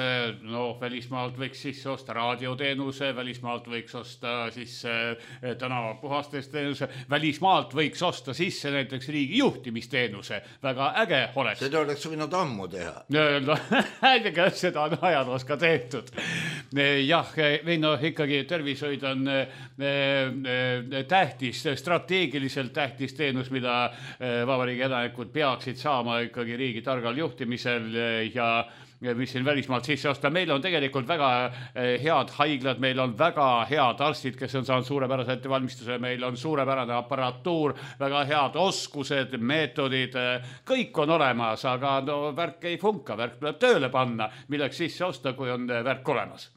No välismaalt võiks sisse osta raadioteenuse, välismaalt võiks osta sisse tänavapuhastest teenuse, välismaalt võiks osta sisse näiteks riigi juhtimisteenuse. Väga äge oleks. Seda oleks võinud ammu teha. No, äge, seda on ajaloos ka tehtud. Jah, või no ikkagi tervishoid on tähtis, strateegiliselt tähtis teenus, mida vabariigi elanikud peaksid saama ikkagi riigi targal juhtimisel ja mis siin välismaalt sisse osta. Meil on tegelikult väga head haiglad, meil on väga head arstid, kes on saanud suurepärase ettevalmistuse, meil on suurepärane aparatuur, väga head oskused, meetodid, kõik on olemas, aga no värk ei funka, värk tuleb tööle panna, milleks sisse osta, kui on värk olemas.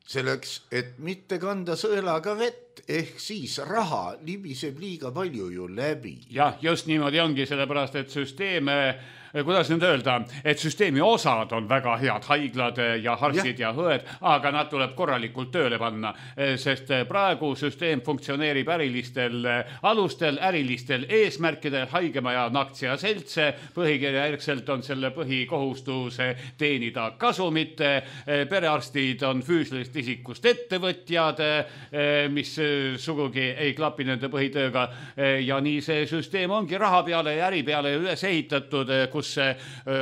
Selleks, et mitte kanda sõelaga vett, ehk siis raha libiseb liiga palju ju läbi. Jah, just niimoodi ongi, sellepärast, et süsteeme kuidas nüüd öelda, et süsteemi osad on väga head, haiglad ja arstid ja, ja õed, aga nad tuleb korralikult tööle panna, sest praegu süsteem funktsioneerib ärilistel alustel, ärilistel eesmärkidel, haigemaja on aktsiaseltse, põhikirja järgselt on selle põhikohustus teenida kasumit, perearstid on füüsilisest isikust ettevõtjad, mis sugugi ei klapi nende põhitööga ja nii see süsteem ongi raha peale ja äri peale üles ehitatud, kus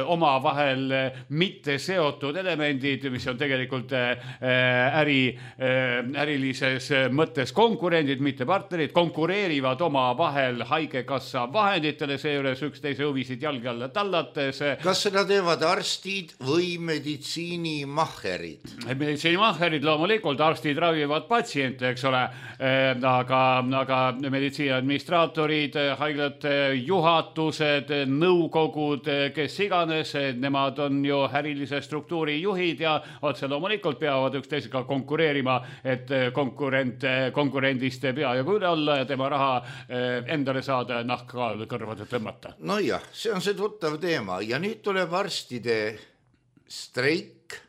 oma vahel mitte seotud elemendid, mis on tegelikult äri, ärilises mõttes konkurendid, mitte partnerid, konkureerivad oma vahel haigekassa vahenditele, seejuures üksteise huvisid jalge alla tallates. Kas seda teevad arstid või meditsiinimahherid? Meditsiinimahherid loomulikult, arstid ravivad patsiente, eks ole, aga, aga meditsiiniadministraatorid, haiglate juhatused, nõukogud, kes iganes, nemad on ju ärilise struktuuri juhid ja otse loomulikult peavad üksteisega konkureerima, et konkurent, konkurendist pea ja üle olla ja tema raha endale saada nahka kõrvade tõmmata. No jah, see on see tuttav teema ja nüüd tuleb arstide streik,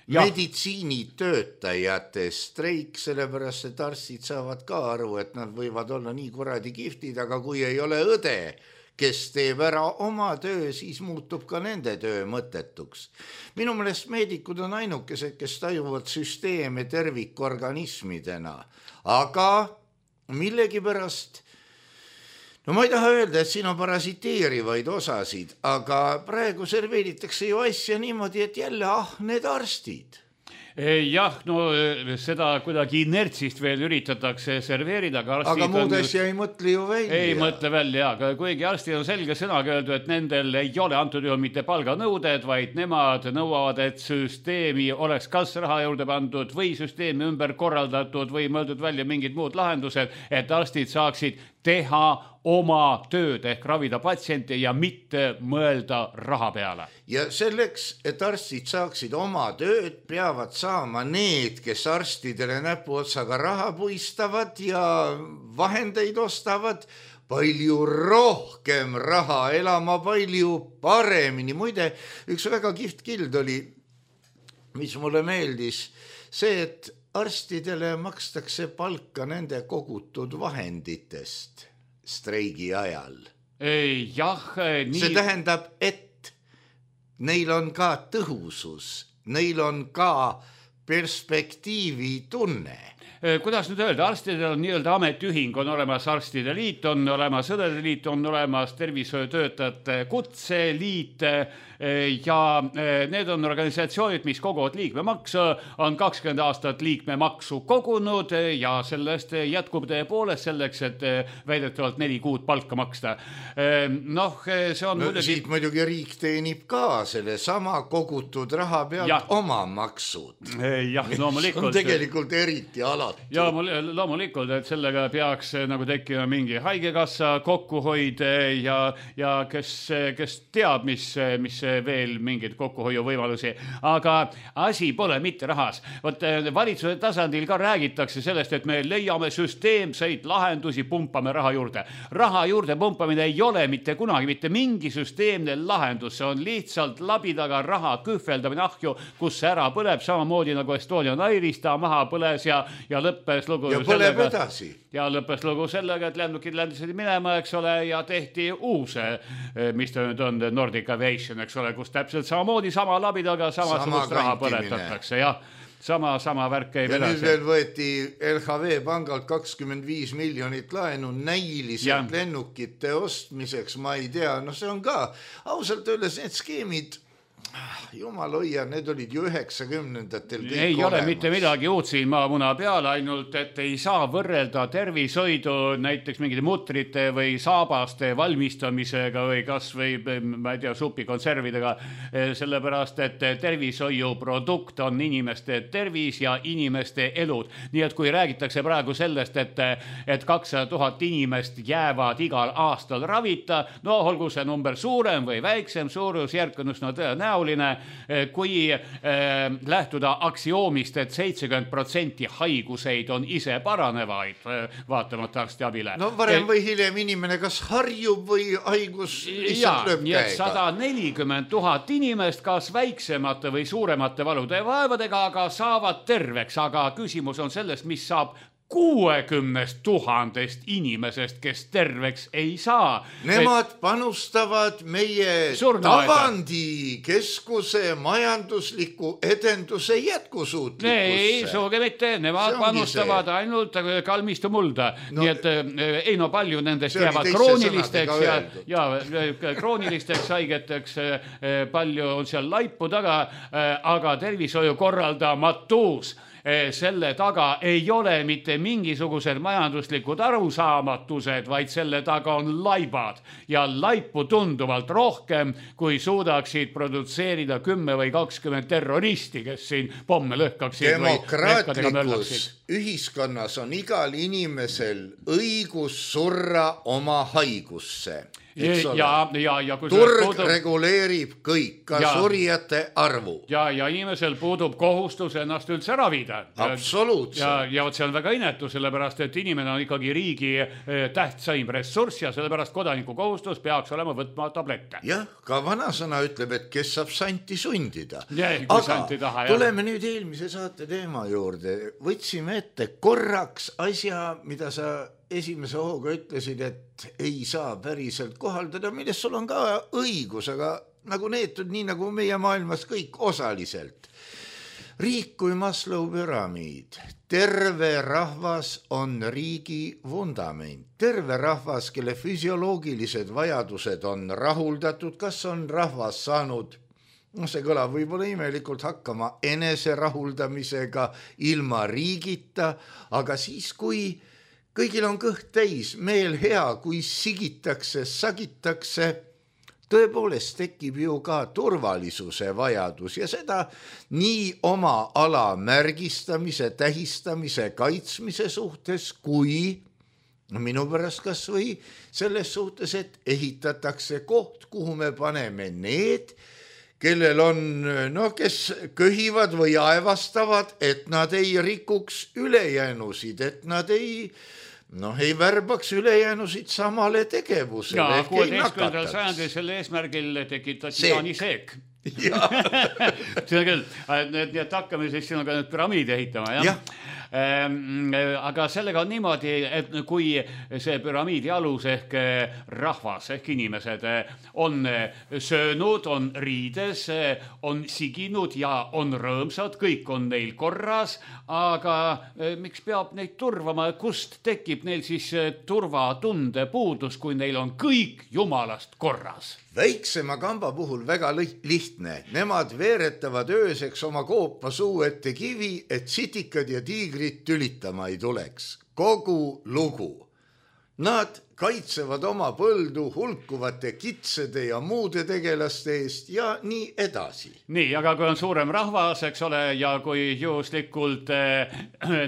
ja. meditsiinitöötajate streik, sellepärast, et arstid saavad ka aru, et nad võivad olla nii kuradi kiftid, aga kui ei ole õde, kes teeb ära oma töö, siis muutub ka nende töö mõttetuks. Minu meelest meedikud on ainukesed, kes tajuvad süsteeme tervikorganismidena, aga millegipärast, no ma ei taha öelda, et siin on parasiteerivaid osasid, aga praegu serveeritakse ju asja niimoodi, et jälle ah, need arstid. Jah, no seda kuidagi inertsist veel üritatakse serveerida, aga arstid aga muud on asja ei mõtle ju välja. Ei mõtle välja, aga kuigi arstid on selge sõnaga öeldu, et nendel ei ole antud juhul mitte palganõuded, vaid nemad nõuavad, et süsteemi oleks kas raha juurde pandud või süsteemi ümber korraldatud või mõeldud välja mingid muud lahendused, et arstid saaksid teha oma tööd ehk ravida patsiente ja mitte mõelda raha peale. Ja selleks, et arstid saaksid oma tööd, peavad saama need, kes arstidele näpuotsaga raha puistavad ja vahendeid ostavad, palju rohkem raha elama, palju paremini. Muide, üks väga kihvt kild oli, mis mulle meeldis, see, et arstidele makstakse palka nende kogutud vahenditest streigi ajal. Jah, nii... See tähendab, et neil on ka tõhusus, neil on ka perspektiivi tunne. Kuidas nüüd öelda, arstidel on nii-öelda ametiühing, on olemas arstide liit, on olemas õdede liit, on olemas tervishoiutöötajate kutseliit ja need on organisatsioonid, mis koguvad liikmemaksu, on kakskümmend aastat liikmemaksu kogunud ja sellest jätkub tõepoolest selleks, et väidetavalt neli kuud palka maksta. Noh, see on no, muidugi... Siit muidugi riik teenib ka selle sama kogutud raha pealt ja. Oma maksud. Jah, loomulikult. On tegelikult eriti alati. Ja loomulikult, et sellega peaks nagu tekkima mingi haigekassa kokkuhoid ja, ja kes, kes teab, mis, mis veel mingid kokkuhoiuvõimalusi. Aga asi pole mitte rahas. Võt, valitsuse tasandil ka räägitakse sellest, et me leiame süsteemseid lahendusi, pumpame raha juurde. Raha juurde pumpamine ei ole mitte kunagi mitte mingi süsteemne lahendus. See on lihtsalt labidaga raha kühveldamine ahju, kus see ära põleb, samamoodi nagu Estonian Airis ta maha põles ja, ja lõppes lugu ja põleb sellega, edasi. Ja lõppes lugu sellega, et lennukid ländisid minema, eks ole, ja tehti uus, mis ta nüüd on, Nordic Aviation, eks ole, kus täpselt samamoodi sama labidaga samasugust sama raha põletatakse, jah. Sama, sama värk käib ja edasi. nüüd veel võeti L H V pangalt kakskümmend viis miljonit laenu näiliselt ja. Lennukite ostmiseks, ma ei tea, no see on ka ausalt öeldes need skeemid, jumal hoia, need olid ju üheksakümnendatel kõik ei olemas. Ole mitte midagi uut siin maamuna peale, ainult et ei saa võrrelda tervishoidu näiteks mingite mutrite või saabaste valmistamisega või kas või, ma ei tea, supikonservidega, sellepärast, et tervishoiuprodukt on inimeste tervis ja inimeste elud. Nii et kui räägitakse praegu sellest, et, et kakssada tuhat inimest jäävad igal aastal ravita, no olgu see number suurem või väiksem, suurusjärk on üsna tõenäoline, kui äh, lähtuda aksioomist, et seitsekümmend protsenti haiguseid on ise paranevaid äh, vaatamata arstiabile. No varem või hiljem inimene kas harjub või haigus lihtsalt lööb käega. sada nelikümmend tuhat inimest kas väiksemate või suuremate valude ja vaevadega, aga saavad terveks, aga küsimus on sellest, mis saab kuuekümnest tuhandest inimesest, kes terveks ei saa. Nemad panustavad meie Tavandi keskuse majandusliku edenduse jätkusuutlikkusse. Ei, suuge mitte, nemad panustavad see. Ainult kalmistu mulda. No, nii et ei no palju nendest jäävad kroonilisteks ja, ja kroonilisteks haigeteks, palju on seal laipu taga, aga tervishoiu korraldamatus. Selle taga ei ole mitte mingisugused majanduslikud arusaamatused, vaid selle taga on laibad ja laipu tunduvalt rohkem, kui suudaksid produtseerida kümme või kakskümmend terroristi, kes siin pomme lõhkaksid. Demokraatlikus ühiskonnas on igal inimesel õigus surra oma haigusse. Ja, ja, ja, kui turg puudub, reguleerib kõik, ka ja, surijate arvu. Ja, ja inimesel puudub kohustus ennast üldse ravida. Absoluutselt. Ja, ja see on väga inetu, sellepärast, et inimene on ikkagi riigi tähtsaim ressurss ja sellepärast kodaniku kohustus peaks olema võtma tablette. Jah, ka vanasõna ütleb, et kes saab santi sundida. Ja, aga santi taha, tuleme jah. Nüüd eelmise saate teema juurde. Võtsime ette korraks asja, mida sa esimese hooga ütlesid, et ei saa päriselt kohaldada, millest sul on ka õigus, aga nagu neetud, nii nagu meie maailmas kõik osaliselt. Riik kui Maslow püramiid, terve rahvas on riigi vundament, terve rahvas, kelle füsioloogilised vajadused on rahuldatud, kas on rahvas saanud, no see kõlab võib-olla imelikult hakkama enese rahuldamisega ilma riigita, aga siis kui kõigil on kõht täis, meel hea, kui sigitakse, sagitakse, tõepoolest tekib ju ka turvalisuse vajadus ja seda nii oma ala märgistamise, tähistamise, kaitsmise suhtes, kui minu pärast kas või selles suhtes, et ehitatakse koht, kuhu me paneme need, kellel on, no kes köhivad või aevastavad, et nad ei rikuks ülejäänusid, et nad ei noh, ei värbaks ülejäänusid samale tegevusele. Ja kuueteistkümnendal sajandil selle eesmärgil tekitati jaaniseek. Ja. See on küll, nii et hakkame siis sinuga nüüd püramiidi ehitama, jah? Ja. Aga sellega on niimoodi, et kui see püramiidi alus ehk rahvas ehk inimesed on söönud, on riides, on siginud ja on rõõmsad, kõik on neil korras, aga miks peab neid turvama, kust tekib neil siis turvatunde puudus, kui neil on kõik jumalast korras? Väiksema kamba puhul väga lihtne. Nemad veeretavad ööseks oma koopa suu ette kivi, et sitikad ja tiigrid tülitama ei tuleks. Kogu lugu. Nad kaitsevad oma põldu hulkuvate kitsede ja muude tegelaste eest ja nii edasi. Nii, aga kui on suurem rahvas, eks ole, ja kui juhuslikult eh,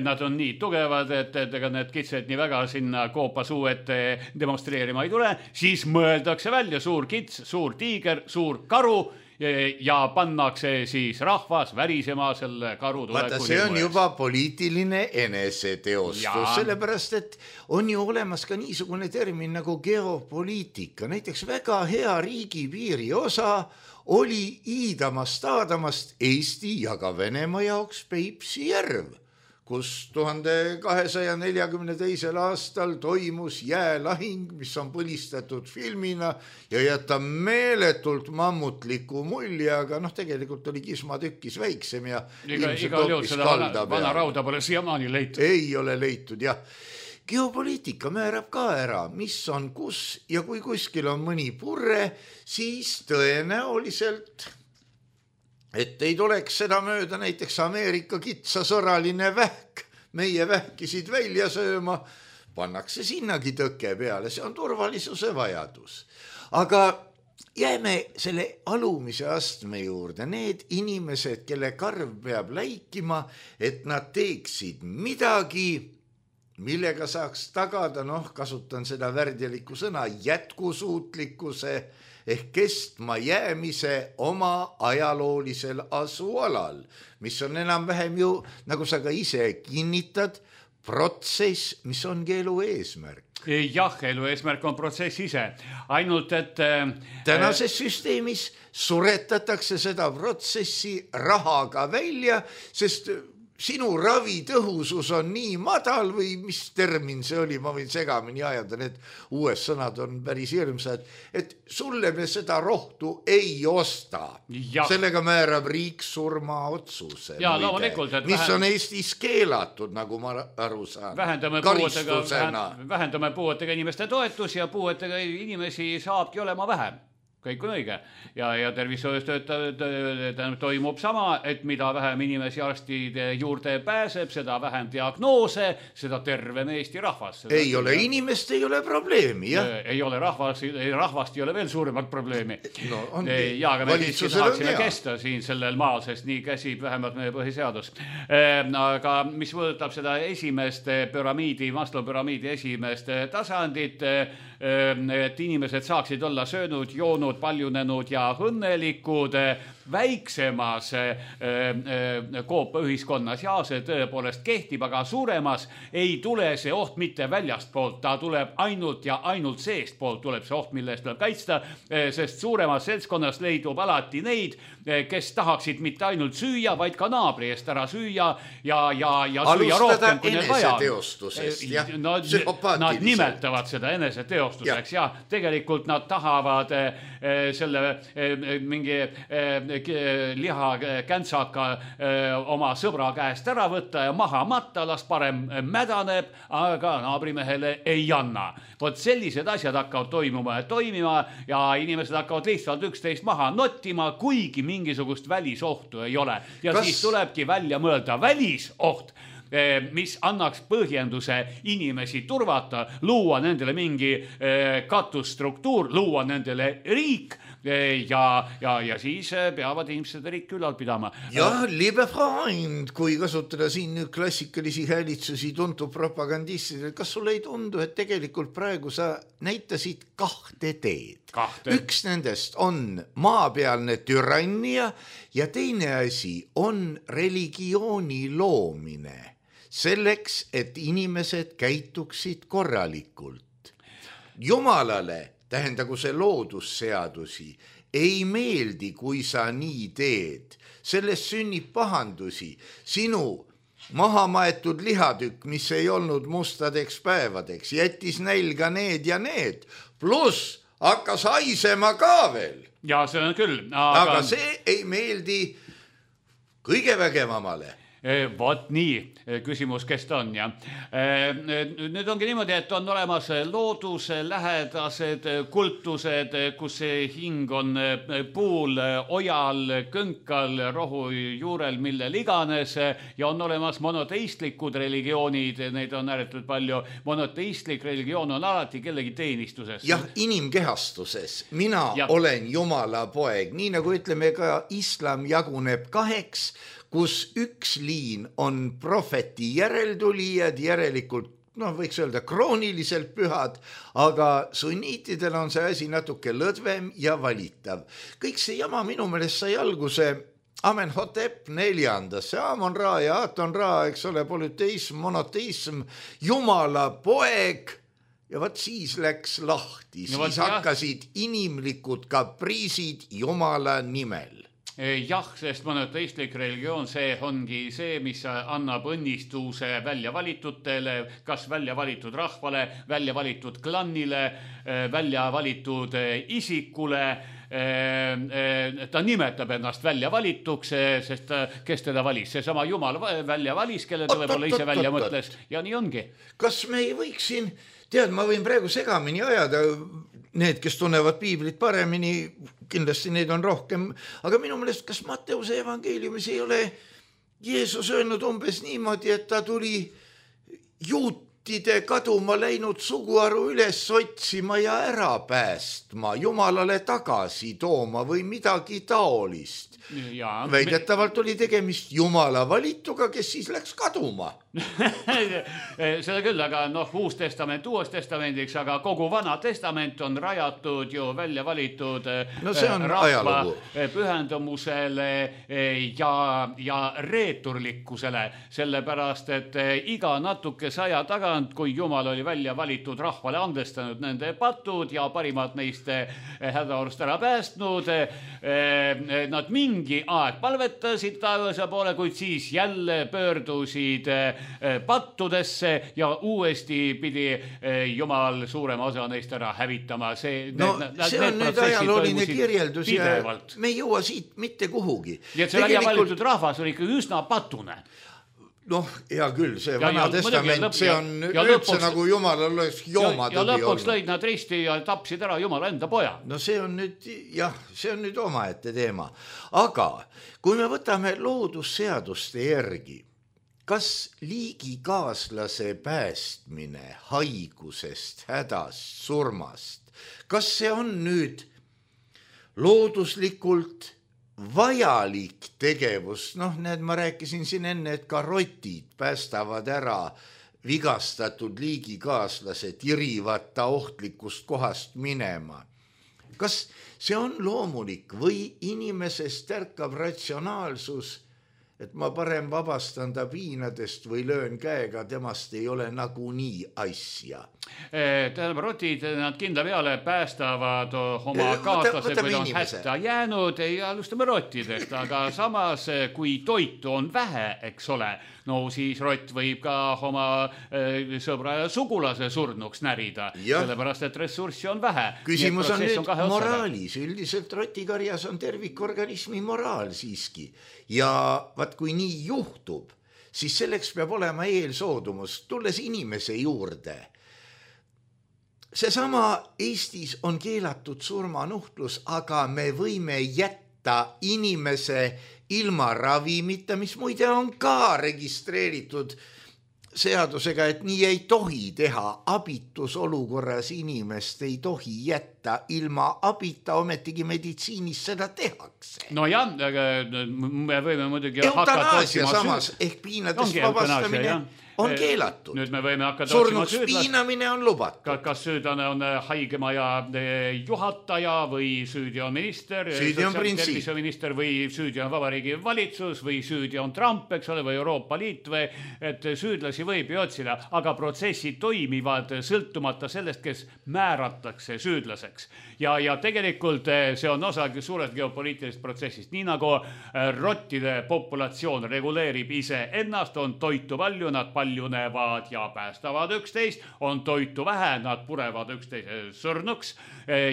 nad on nii tugevad, et, et ega need kitsed nii väga sinna koopa suu ette demonstreerima ei tule, siis mõeldakse välja suur kits, suur tiiger, suur karu, ja pannakse siis rahvas värisema selle karu tuleku. Vaata, see on juba poliitiline eneseteostus, sellepärast, et on ju olemas ka niisugune termin nagu geopoliitika. Näiteks väga hea riigipiiri osa oli Iidamast, Aadamast Eesti ja ka Venemaa jaoks Peipsi järv, kus tuhande kahesaja neljakümne teisel aastal toimus jäälahing, mis on põlistatud filmina ja jätab meeletult mammutliku mulje, aga noh, tegelikult oli kismatükkis väiksem ja iga, iga jõud seda vana, vana rauda pole siiamaani leitud. Ei ole leitud, jah. Geopoliitika määrab ka ära, mis on kus ja kui kuskil on mõni purre, siis tõenäoliselt et ei tuleks seda mööda näiteks Ameerika kitsasõraline vähk, meie vähkisid välja sööma, pannakse sinnagi tõke peale, see on turvalisuse vajadus. Aga jääme selle alumise astme juurde, need inimesed, kelle karv peab läikima, et nad teeksid midagi, millega saaks tagada, noh, kasutan seda värdjaliku sõna, jätkusuutlikkuse ehk kestma jäämise oma ajaloolisel asualal, mis on enam-vähem ju, nagu sa ka ise kinnitad, protsess, mis ongi elu eesmärk. Jah, elu eesmärk on protsess ise, ainult et tänases süsteemis suretatakse seda protsessi rahaga välja, sest sinu ravitõhusus on nii madal või mis termin see oli, ma võin segamini ajada, need uues sõnad on päris hirmsad, et sulle me seda rohtu ei osta. Ja. Sellega määrab riik surma otsuse, ja, muide, mis vähem... on Eestis keelatud, nagu ma aru saan. Vähendame puuetega, vähendame puuetega inimeste toetus ja puuetega inimesi saabki olema vähem. Kõik on õige. Ja, ja tervishoius toimub sama, et mida vähem inimesi arstide juurde pääseb, seda vähem diagnoose, seda tervem Eesti rahvas. Seda ei ole inimest, ei ole probleemi, jah? Ei ole rahvas, rahvast ei ole veel suuremat probleemi. No, ongi. Ja, aga me siiski tahaksime kesta siin sellel maal, sest nii käsib vähemalt meie põhiseadus. Aga mis võõtab seda esimest püramiidi, Maslow püramiidi esimest tasandit, et inimesed saaksid olla söönud, joonud, paljunenud ja õnnelikud, väiksemas koopaühiskonnas ja see tõepoolest kehtib, aga suuremas ei tule see oht mitte väljast poolt, ta tuleb ainult ja ainult seest poolt tuleb see oht, mille eest tuleb kaitsta, sest suuremas seltskonnas leidub alati neid, kes tahaksid mitte ainult süüa, vaid ka naabri eest ära süüa ja, ja, ja süüa rohkem, kui neil vaja. No, nad nimetavad seda eneseteostuseks ja. ja tegelikult nad tahavad selle mingi liha käntsaka oma sõbra käest ära võtta ja maha matta, las parem mädaneb, aga naabrimehele ei anna. Vot sellised asjad hakkavad toimuma ja toimima ja inimesed hakkavad lihtsalt üksteist maha nottima, kuigi mingisugust välisohtu ei ole. Ja Kas... siis tulebki välja mõelda välisoht, mis annaks põhjenduse inimesi turvata, luua nendele mingi katusstruktuur, luua nendele riik ja, ja, ja siis peavad inimesed riik ülal pidama. Jah, liebe Freund, kui kasutada siin nüüd klassikalisi häälitsusi tuntud propagandistidel, kas sulle ei tundu, et tegelikult praegu sa näitasid kahte teed? Kahte. Üks nendest on maapealne türannia ja teine asi on religiooni loomine. Selleks, et inimesed käituksid korralikult. Jumalale, tähendagu see loodusseadusi, ei meeldi, kui sa nii teed. Sellest sünnib pahandusi. Sinu maha maetud lihatükk, mis ei olnud mustadeks päevadeks, jättis nälga need ja need. Plus hakkas haisema ka veel. Ja see on küll. Aga, aga see ei meeldi kõige vägevamale. Vot nii, küsimus, kes ta on ja nüüd ongi niimoodi, et on olemas looduse lähedased kultused, kus see hing on puul, ojal, kõnkal, rohu juurel, millel iganes ja on olemas monoteistlikud religioonid, neid on ääretult palju. Monoteistlik religioon on alati kellegi teenistuses. Jah, inimkehastuses. Mina ja. olen Jumala poeg, nii nagu ütleme ka islam jaguneb kaheks, kus üks liin on prohveti järeltulijad, järelikult, noh, võiks öelda krooniliselt pühad, aga sunniitidel on see asi natuke lõdvem ja valitav. Kõik see jama minu meelest sai alguse Amenhotep neljandasse, Amon-Ra ja Aton-Ra, eks ole, polüteism, monoteism, Jumala poeg ja vaat siis läks lahti, siis no, hakkasid inimlikud kapriisid Jumala nimel. Jah, sest monoteistlik religioon, see ongi see, mis annab õnnistuse välja valitutele, kas välja valitud rahvale, välja valitud klannile, välja valitud isikule. Ta nimetab ennast välja valituks, sest kes teda valis? Seesama Jumal välja valis, kelle ta võib-olla ise välja mõtles ja nii ongi. Kas me ei võiks siin, tead, ma võin praegu segamini ajada, need, kes tunnevad piiblit paremini, kindlasti neid on rohkem, aga minu meelest, kas Matteuse evangeeliumis ei ole Jeesus öelnud umbes niimoodi, et ta tuli juutide kaduma läinud suguharu üles otsima ja ära päästma, Jumalale tagasi tooma või midagi taolist. Ja, väidetavalt oli tegemist Jumala valituga, kes siis läks kaduma. Seda küll, aga noh, uus testament uues testamendiks, aga kogu vana testament on rajatud ju välja valitud no see on rahva ajalugu. Pühendumusele ja, ja reeturlikkusele, sellepärast, et iga natuke saja tagant, kui Jumal oli välja valitud rahvale andestanud nende patud ja parimad neist hädaorust ära päästnud, nad mingi aeg palvetasid taevase poole, kuid siis jälle pöördusid pattudesse ja uuesti pidi Jumal suurema osa neist ära hävitama. See, no need, see on nüüd ajalooline kirjeldus pidevalt. Ja me ei jõua siit mitte kuhugi. Ja see välja valitud rahvas oli ikka üsna patune. Noh, hea küll, see ja, vana ja, testament, lõpp, see on ja, ja üldse lõpuks, nagu Jumalal oleks joomad. Ja, ja lõpuks lõid nad risti ja tapsid ära Jumala enda poja. No see on nüüd, jah, see on nüüd omaette teema. Aga kui me võtame loodusseaduste järgi, kas liigikaaslase päästmine haigusest, hädast, surmast, kas see on nüüd looduslikult vajalik tegevus, noh, need ma rääkisin siin enne, et ka rotid päästavad ära vigastatud liigikaaslased, irivad ta ohtlikust kohast minema. kas see on loomulik või inimesest ärkab ratsionaalsus, et ma parem vabastan ta piinadest või löön käega, temast ei ole nagunii asja. Tähendab, rotid, nad kindla peale päästavad oma kaaslased, kui on hätta jäänud ja alustame rottidest, aga samas, kui toitu on vähe, eks ole, no siis rott võib ka oma sõbra ja sugulase surnuks närida, sellepärast, et ressurssi on vähe. Küsimus on nüüd moraalis. Üldiselt rotikarjas on tervikorganismi moraal siiski. Ja vaat kui nii juhtub, siis selleks peab olema eelsoodumus, tulles inimese juurde. Seesama Eestis on keelatud surmanuhtlus, aga me võime jätta inimese ilma ravimita, mis muide on ka registreeritud seadusega, et nii ei tohi teha. Abitusolukorras inimest ei tohi jätta ilma abita, ometigi meditsiinis seda tehakse. No jah, me võime muidugi eutanaasia samas ehk piinadest vabastamine on keelatud. Nüüd me võime hakata surnuks piinamine on lubatud. Kas süüdlane on haigemaja juhataja või süüdi on minister, süüdi on terviseminister või süüdi on vabariigi valitsus või süüdi on Trump, eks ole, või Euroopa Liit või et süüdlasi võib ju otsida, aga protsessid toimivad sõltumata sellest, kes määratakse süüdlaseks. Ja, ja tegelikult see on osa suurest geopoliitilist protsessist. Nii nagu rottide populatsioon reguleerib ise ennast, on toitu palju, nad paljunevad ja päästavad üksteist, on toitu vähe, nad purevad üksteise surnuks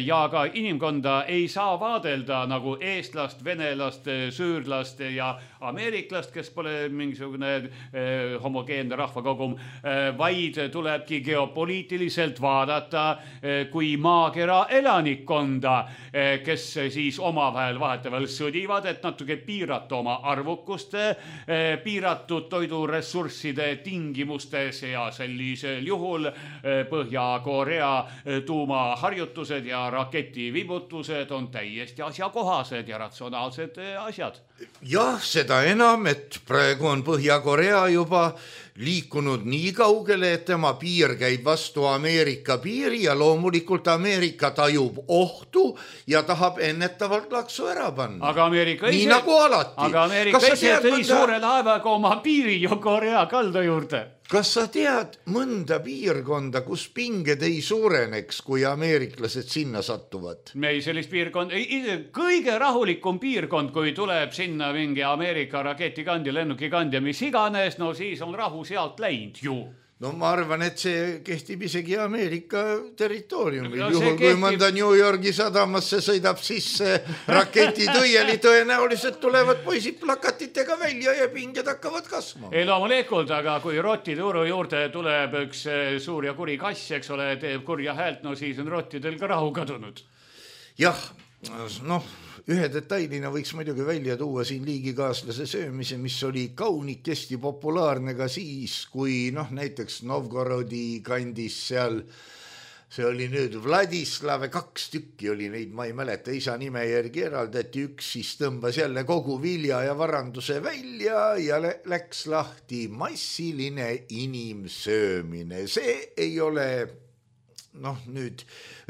ja ka inimkonda ei saa vaadelda nagu eestlast, venelast, süürlast ja ameeriklast, kes pole mingisugune eh, homogeenne rahvakogum, eh, vaid tulebki geopoliitiliselt vaadata eh, kui maakera elanikkonda, eh, kes siis omavahel vahetevahel sõdivad, et natuke piirata oma arvukust, eh, piiratud toiduressursside tingimustes ja sellisel juhul eh, Põhja-Korea eh, tuumaharjutused ja raketivibutused on täiesti asjakohased ja ratsionaalsed eh, asjad. Jah, seda enam, et praegu on Põhja-Korea juba liikunud nii kaugele, et tema piir käib vastu Ameerika piiri ja loomulikult Ameerika tajub ohtu ja tahab ennetavalt laksu ära panna. Aga Ameerika nii ise, nagu alati. Aga Ameerika ise tõi mõnda... suure laevaga oma piiri ju Korea kalda juurde. Kas sa tead mõnda piirkonda, kus pinged ei suureneks, kui ameeriklased sinna sattuvad? Me ei sellist piirkond, kõige rahulikum piirkond, kui tuleb sinna mingi Ameerika raketikandja, lennukikandja, mis iganes, no siis on rahu sealt läinud ju. No ma arvan, et see kehtib isegi Ameerika territooriumil. No, juhul, kui mõnda New Yorgi sadamasse sõidab sisse raketitõieli, tõenäoliselt tulevad poisid plakatitega välja ja pinged hakkavad kasvama. Ei loomulikult, aga kui rottide uru juurde tuleb üks suur ja kuri kass, eks ole, teeb kurja häält, no siis on rottidel ka rahu kadunud. Jah, noh, ühe detailina võiks muidugi välja tuua siin liigikaaslase söömise, mis oli kaunikesti populaarne ka siis, kui noh, näiteks Novgorodi kandis seal, see oli nüüd Vladislav, kaks tükki oli neid, ma ei mäleta, isa nime järgi eraldati, üks siis tõmbas jälle kogu vilja ja varanduse välja ja läks lahti massiline inimsöömine. See ei ole... noh, nüüd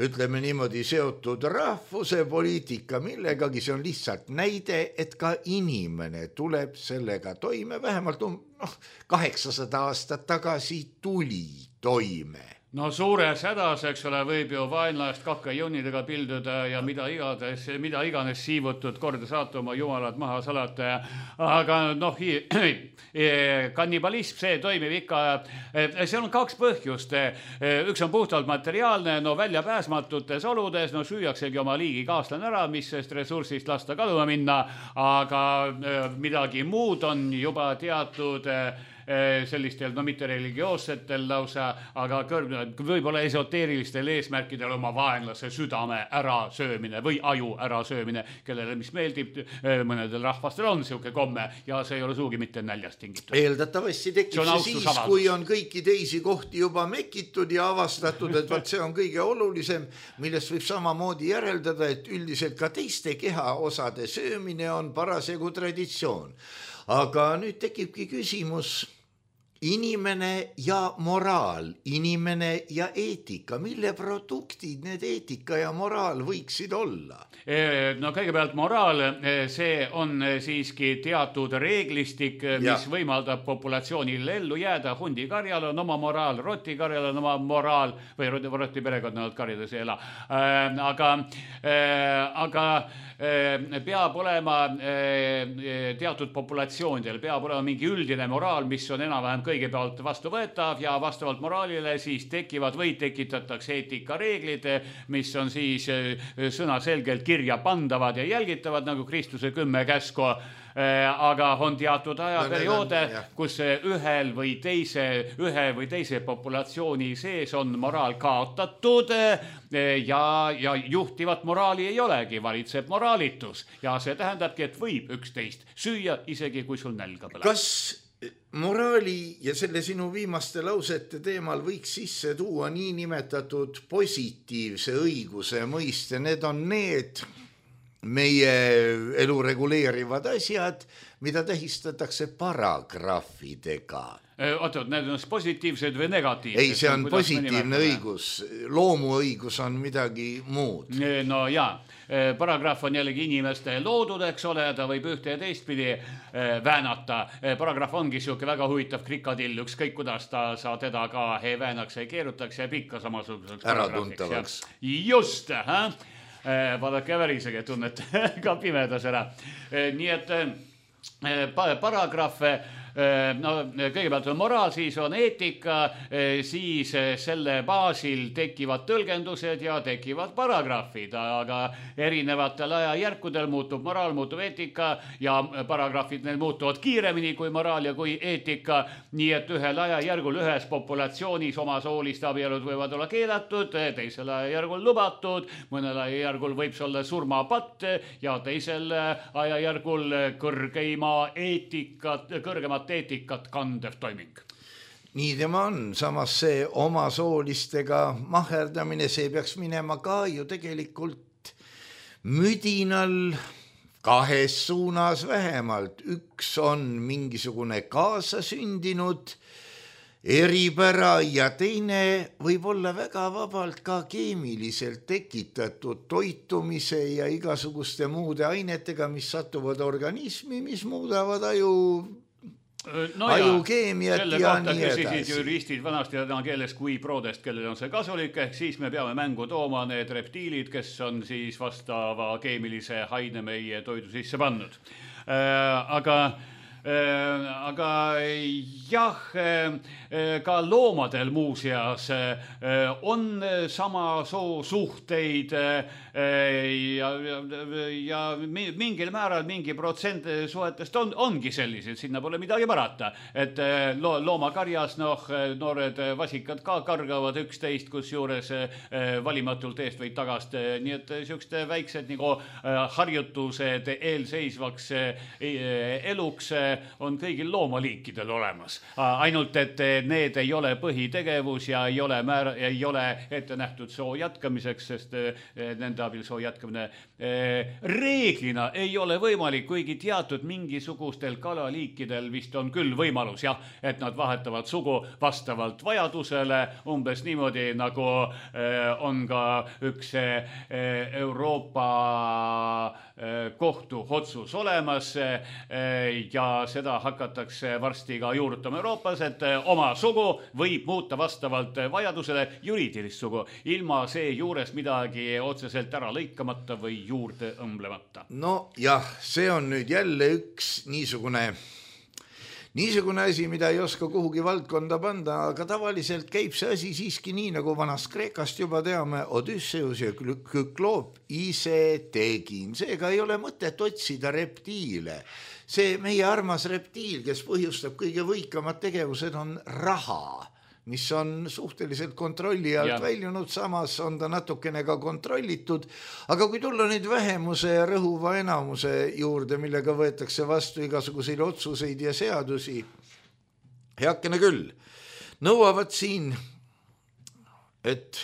ütleme niimoodi seotud rahvuse poliitika millegagi, see on lihtsalt näide, et ka inimene tuleb sellega toime, vähemalt noh, kaheksasada aastat tagasi tuli toime. No suures hädas, eks ole, võib ju vaenlast kakkajunnidega pilduda ja mida igades, mida iganes siivutud korda saata oma jumalad maha salata. Aga noh, kannibalism, see toimib ikka, see on kaks põhjust. Üks on puhtalt materiaalne, no välja pääsmatutes oludes, no süüaksegi oma liigi kaaslane ära, mis sest ressursist lasta kaduma minna, aga midagi muud on juba teatud sellistel, no mitte religioossetel lausa, aga võib-olla esoteerilistel eesmärkidel oma vaenlase südame ära söömine või aju ära söömine, kellele mis meeldib, mõnedel rahvastel on siuke komme ja see ei ole suugi mitte näljast tingitud. Eeldatavasti tekib see, see siis, avaldus. Kui on kõiki teisi kohti juba mekitud ja avastatud, et vaat see on kõige olulisem, millest võib samamoodi järeldada, et üldiselt ka teiste kehaosade söömine on parasjagu traditsioon. Aga nüüd tekibki küsimus, inimene ja moraal, inimene ja eetika, mille produktid need eetika ja moraal võiksid olla? No kõigepealt moraal, see on siiski teatud reeglistik, mis ja. võimaldab populatsioonil ellu jääda. Hundikarjal on oma moraal, rotikarjal on oma moraal või roti perekonnad karjades ei ela. Aga, aga peab olema teatud populatsioonidel, peab olema mingi üldine moraal, mis on enam-vähem kõigepealt vastu võetav ja vastavalt moraalile siis tekivad või tekitatakse eetikareeglid, mis on siis sõnaselgelt kirja pandavad ja jälgitavad nagu Kristuse kümme käsku, aga on teatud ajaperioode, kus ühel või teise, ühe või teise populatsiooni sees on moraal kaotatud ja, ja juhtivat moraali ei olegi, valitseb moraalitus ja see tähendabki, et võib üksteist süüa, isegi kui sul nälga põleb. Kas moraali ja selle sinu viimaste lausete teemal võiks sisse tuua nii nimetatud positiivse õiguse mõiste? Need on need meie elu reguleerivad asjad, mida tähistatakse paragrahvidega. Oot, need on positiivsed või negatiivsed? Ei, see on positiivne õigus. Loomuõigus on midagi muud. No jaa, paragrahv on jällegi inimeste loodud, eks ole, ta võib ühte ja teistpidi väänata. Paragrahv ongi siuke väga huvitav krikadill, ükskõik kuidas ta sa teda ka ei väänaks, ei keerutaks ja pikka samasuguseks äratuntavaks. Just, hä? Vaadake värisegi, tunnet ka pimedas ära. Nii et paragrahve, no kõigepealt on moraal, siis on eetika, siis selle baasil tekivad tõlgendused ja tekivad paragrahvid, aga erinevatel ajajärkudel muutub moraal, muutub eetika ja paragrahvid neil muutuvad kiiremini kui moraal ja kui eetika, nii et ühel ajajärgul ühes populatsioonis omasoolist abielud võivad olla keelatud, teisel ajajärgul lubatud, mõnel ajajärgul võib see olla surmapatt ja teisel ajajärgul kõrgeima eetikat, kõrgemat eetikat kandev toiming. Nii tema on, samas see omasoolistega maherdamine, see peaks minema ka ju tegelikult müdinal kahes suunas vähemalt. Üks on mingisugune kaasasündinud eripära ja teine võib olla väga vabalt ka keemiliselt tekitatud toitumise ja igasuguste muude ainetega, mis satuvad organismi, mis muudavad aju No ajukeemiat selle ja kohta nii edasi. küsisid juristid vanasti täna keeles kui prodest, kellel on see kasulik, ehk siis me peame mängu tooma need reptiilid, kes on siis vastava keemilise haine meie toidu sisse pannud. Äh, aga Äh, aga jah, ka loomadel muuseas on sama soo suhteid ja, ja, ja mingil määral mingi protsent suhetest on, ongi sellised, sinna pole midagi parata, et lo, loomakarjas noh, noored vasikad ka kargavad üksteist, kus juures valimatult eest või tagast, nii et siukeste väiksed nagu harjutused eelseisvaks eluks on kõigil loomaliikidel olemas. Ainult, et need ei ole põhitegevus ja ei ole, määr, ei ole ette nähtud soo jätkamiseks, sest nende abil soo jätkamine reeglina ei ole võimalik, kuigi teatud mingisugustel kalaliikidel vist on küll võimalus, jah, et nad vahetavad sugu vastavalt vajadusele, umbes niimoodi, nagu on ka üks Euroopa kohtu otsus olemas ja seda hakatakse varsti ka juurutama Euroopas, et oma sugu võib muuta vastavalt vajadusele juriidilist sugu, ilma see juures midagi otseselt ära lõikamata või juurde õmblemata. No jah, see on nüüd jälle üks niisugune Niisugune asi, mida ei oska kuhugi valdkonda panda, aga tavaliselt käib see asi siiski nii, nagu vanast Kreekast juba teame, Odysseus ja Kükloop ise tegin. Seega ei ole mõtet otsida reptiile. See meie armas reptiil, kes põhjustab kõige võikamad tegevused, on raha, mis on suhteliselt kontrolli alt ja. väljunud, samas on ta natukene ka kontrollitud, aga kui tulla nüüd vähemuse ja rõhuva enamuse juurde, millega võetakse vastu igasuguseid otsuseid ja seadusi, heakene küll, nõuavad siin, et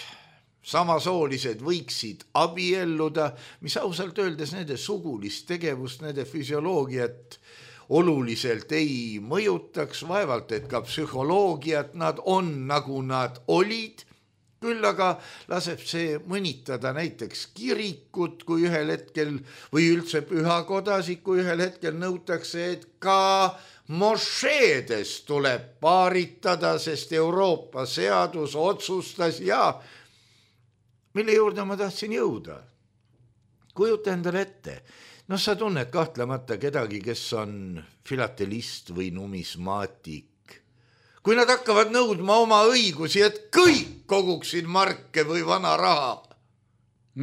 samasoolised võiksid abielluda, mis ausalt öeldes nende sugulist tegevust, nende füsioloogiat oluliselt ei mõjutaks, vaevalt, et ka psühholoogiat nad on, nagu nad olid. Küll aga laseb see mõnitada näiteks kirikut, kui ühel hetkel või üldse pühakodasid, kui ühel hetkel nõutakse, et ka mošeedes tuleb paaritada, sest Euroopa seadus otsustas ja mille juurde ma tahtsin jõuda. Kujuta endale ette. No sa tunned kahtlemata kedagi, kes on filatelist või numismaatik. Kui nad hakkavad nõudma oma õigusi, et kõik koguksid marke või vana raha.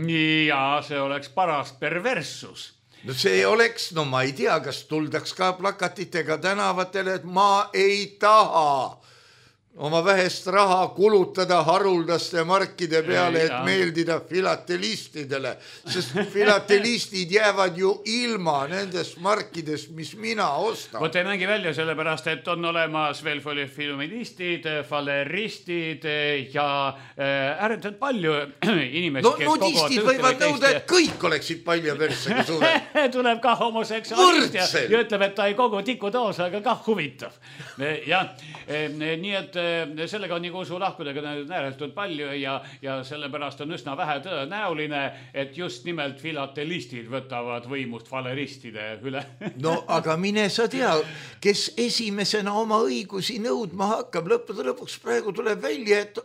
Ja see oleks paras perverssus. No see oleks, no ma ei tea, kas tuldaks ka plakatitega tänavatele, et ma ei taha oma vähest raha kulutada haruldaste markide peale, et meeldida filatelistidele, sest filatelistid jäävad ju ilma nendest markidest, mis mina ostan. Vot ei mängi välja sellepärast, et on olemas veel filmilistid, faleristid ja ääretult palju inimesi, no, kes nudistid võivad nõuda, et kõik oleksid palja persega suured. Tuleb ka homoseksuaalist ja, ja ütleb, et ta ei kogu tikutoos, aga ka huvitav. Ja nii et sellega on nagu usu lahkudega ääretult palju ja, ja sellepärast on üsna vähe tõenäoline, et just nimelt filatelistid võtavad võimust faleristide üle. No aga mine sa tea, kes esimesena oma õigusi nõudma hakkab, lõppude lõpuks praegu tuleb välja, et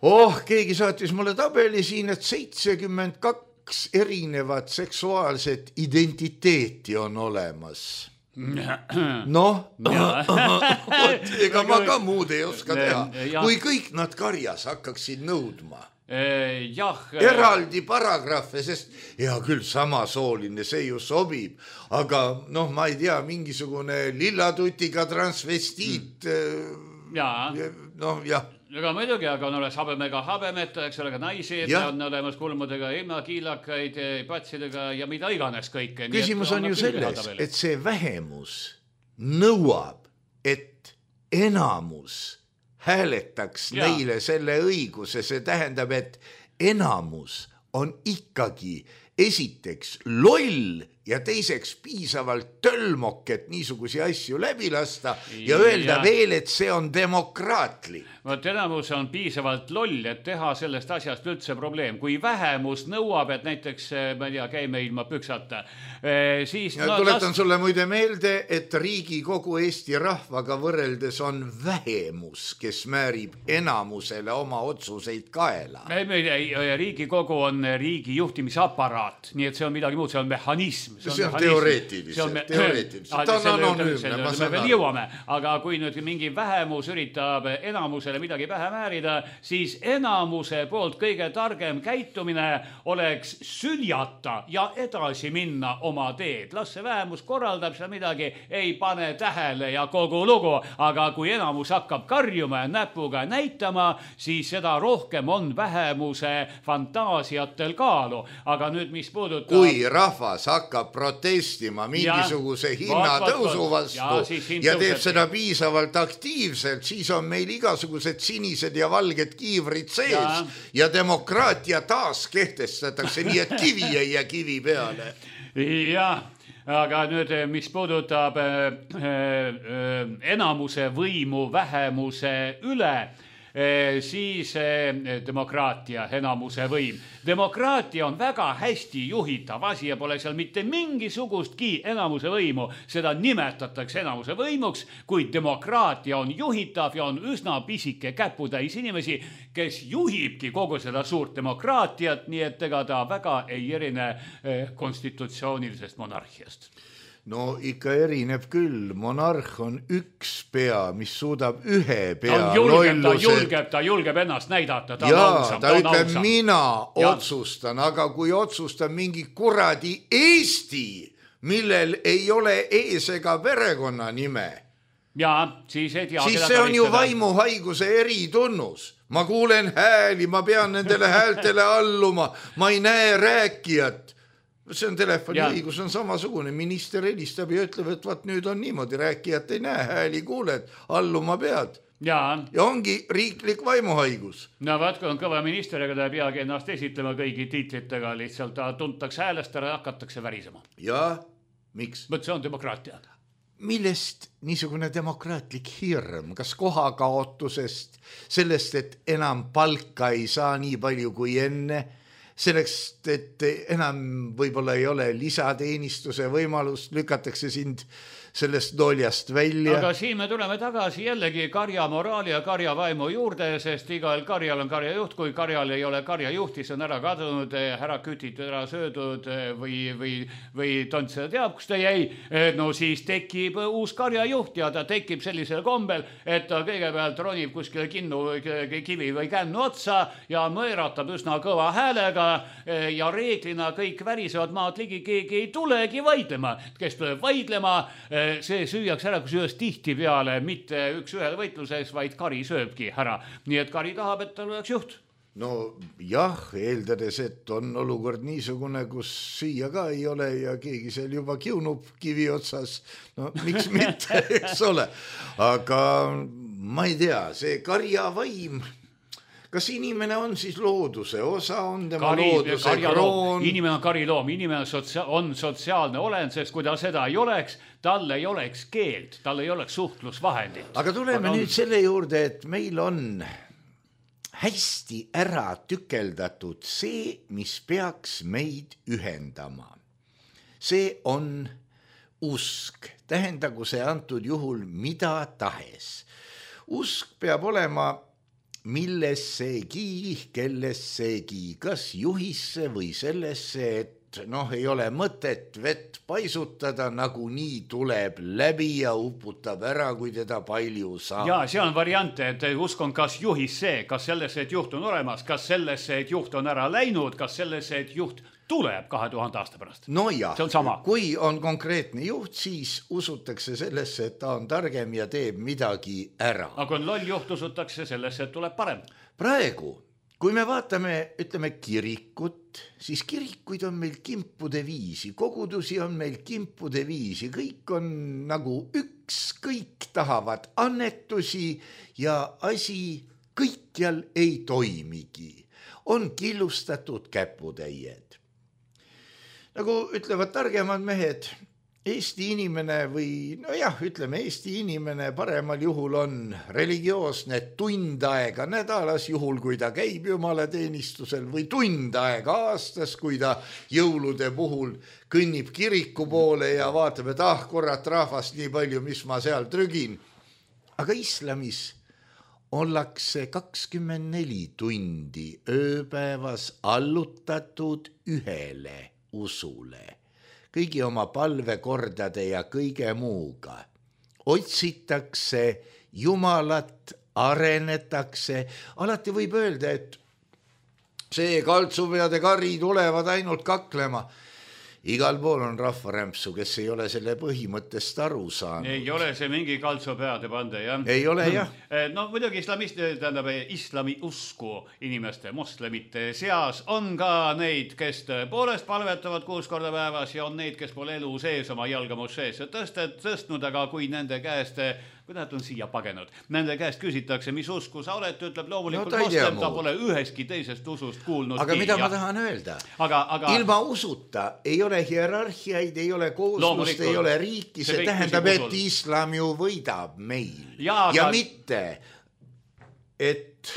oh, keegi saatis mulle tabeli siin, et seitsekümmend kaks erinevat seksuaalset identiteeti on olemas. Noh, ega ma ka muud ei oska teha, kui kõik nad karjas hakkaksid nõudma. Jah. Eraldi paragrahve, sest hea küll samasooline, see ju sobib, aga noh, ma ei tea, mingisugune lillatutiga transvestiit, noh jah. Aga muidugi, aga on olemas habemega habemeta, eks ole, ka naisi, on olemas kulmudega ilma kiilakaid, patsidega ja mida iganes kõike. Küsimus on ju selles, et see vähemus nõuab, et enamus hääletaks neile selle õiguse, see tähendab, et enamus on ikkagi esiteks loll ja teiseks piisavalt tölmok, et niisugusi asju läbi lasta ja öelda ja. Veel, et see on demokraatlik. Vot enamus on piisavalt loll, et teha sellest asjast üldse probleem. Kui vähemus nõuab, et näiteks, ma ei tea, käime ilma püksata, siis... Ja no, tuletan las... sulle muide meelde, et Riigikogu Eesti rahvaga võrreldes on vähemus, kes määrib enamusele oma otsuseid kaela. Riigikogu on riigi juhtimisaparaat, nii et see on midagi muud, see on mehhanism. See on, see on teoreetiliselt, me... teoreetiliselt. Ta on anonüümne, ma saan aru. Jõuame, aga kui nüüd mingi vähemus üritab enamusele midagi pähe määrida, siis enamuse poolt kõige targem käitumine oleks süljata ja edasi minna oma teed. Las see vähemus korraldab seal midagi, ei pane tähele ja kogu lugu, aga kui enamus hakkab karjuma ja näpuga näitama, siis seda rohkem on vähemuse fantaasiatel kaalu. Aga nüüd, mis puudutab... Kui rahvas hakkab protestima mingisuguse ja, hinnatõusu vastu ja, ja teeb seda piisavalt aktiivselt, siis on meil igasugused sinised ja valged kiivrid sees ja, ja demokraatia taas kehtestatakse nii, et kivi ei jää kivi peale. Jah, aga nüüd, mis puudutab enamuse võimu vähemuse üle, siis demokraatia, enamuse võim. Demokraatia on väga hästi juhitav asi ja pole seal mitte mingisugustki enamuse võimu. Seda nimetatakse enamuse võimuks, kuid demokraatia on juhitav ja on üsna pisike käputäis inimesi, kes juhibki kogu seda suurt demokraatiat, nii et ega ta väga ei erine konstitutsioonilisest monarhiast. No ikka erineb küll, monarh on üks pea, mis suudab ühe pea ta julgeb, ta julgeb, ta julgeb ennast näidata, ta ja, on ausam. Ta, ta ütleb, ausam. Mina ja. Otsustan, aga kui otsustan mingi kuradi Eesti, millel ei ole ees ega perekonna nime, ja, siis, ei tea, siis see on ju vaimuhaiguse eritunnus. Ma kuulen hääli, ma pean nendele häältele alluma, ma ei näe rääkijat. See on telefoni ja. Õigus on samasugune, minister helistab ja ütleb, et vaat nüüd on niimoodi, rääkijat ei näe, hääli kuuled, alluma pead. Ja. ja ongi riiklik vaimuhaigus. No vaat, kui on kõva minister, ega ta ei peagi ennast esitlema kõigi tiitlitega, lihtsalt ta tuntakse häälest ära ja hakatakse värisema. Ja, miks? Võt see on demokraatia. millest niisugune demokraatlik hirm, kas kohakaotusest, sellest, et enam palka ei saa nii palju kui enne, selleks, et enam võib-olla ei ole lisateenistuse võimalust, lükatakse sind sellest doljast välja. Aga siin me tuleme tagasi jällegi karja moraali ja karja vaimu juurde, sest igal karjal on karjajuht, kui karjal ei ole karjajuhti, see on ära kadunud, ära kütitud, ära söödud või, või, või tont seda teab, kus ta jäi, no siis tekib uus karjajuht ja ta tekib sellisel kombel, et ta kõigepealt ronib kuskile kinnu, kivi või kännu otsa ja mõeratab üsna kõva häälega ja reeglina kõik värisevad maad ligi, keegi ei tulegi vaidlema, kes tuleb vaidlema, see süüakse ära, kusjuures tihti peale, mitte üks ühele võitluses, vaid kari sööbki ära. Nii et kari tahab, et tal oleks juht. No jah, eeldades, et on olukord niisugune, kus süüa ka ei ole ja keegi seal juba kiunub kivi otsas. No miks mitte, eks ole. Aga ma ei tea, see karja vaim... Kas inimene on siis looduse osa, on tema kari, looduse kroon? Inimene on kariloom, inimene on, sotsia- on sotsiaalne olend, sest kui ta seda ei oleks, tal ei oleks keelt, tal ei oleks suhtlusvahendit. Aga tuleme Aga nüüd on... selle juurde, et meil on hästi ära tükeldatud see, mis peaks meid ühendama. See on usk, tähendagu see antud juhul mida tahes. Usk peab olema millessegi, kellessegi, kas juhisse või sellesse, et noh, ei ole mõtet vett paisutada, nagu nii tuleb läbi ja uputab ära, kui teda palju saab. Ja see on variante, et usk on kas juhisse, kas sellesse, et juht on olemas, kas sellesse, et juht on ära läinud, kas sellesse, et juht tuleb kahe tuhande aasta pärast. No jah, see on sama. Kui on konkreetne juht, siis usutakse sellesse, et ta on targem ja teeb midagi ära. Aga kui on loll juht, usutakse sellesse, et tuleb parem. Praegu, kui me vaatame, ütleme kirikut, siis kirikuid on meil kimpude viisi, kogudusi on meil kimpude viisi, kõik on nagu üks, kõik tahavad annetusi ja asi kõikjal ei toimigi. On killustatud käputäied. Nagu ütlevad targemad mehed, Eesti inimene või, no jah, ütleme Eesti inimene paremal juhul on religioosne tund aega nädalas, juhul kui ta käib jumalateenistusel või tund aega aastas, kui ta jõulude puhul kõnnib kiriku poole ja vaatab, et ah, korrat rahvast nii palju, mis ma seal trügin. Aga islamis ollakse kakskümmend neli tundi ööpäevas allutatud ühele usule, kõigi oma palvekordade ja kõige muuga. Otsitakse Jumalat, arenetakse. Alati võib öelda, et see kaltsupeade kari tulevad ainult kaklema. Igal pool on rahvarämpsu, kes ei ole selle põhimõttest aru saanud. Ei ole see mingi kaltsupeade pande, jah? Ei ole, jah. No muidugi islamist, tähendab, islami usku inimeste, moslemite seas on ka neid, kes tõepoolest palvetavad kuus korda päevas ja on neid, kes pole elu sees oma jalga mosseesse tõstet, tõstnud, aga kui nende käest, kui nad on siia pagenud, nende käest küsitakse, mis usku sa oled, ütleb loomulikult no, moslem, ta pole üheski teisest usust kuulnud. Aga mida ja... ma tahan öelda? Aga, aga... Ilma usuta ei ole hierarhiaid, ei ole kooslust, ei ole riiki, see, see tähendab, et islam ju võidab meil. Ja, ja aga... mitte, et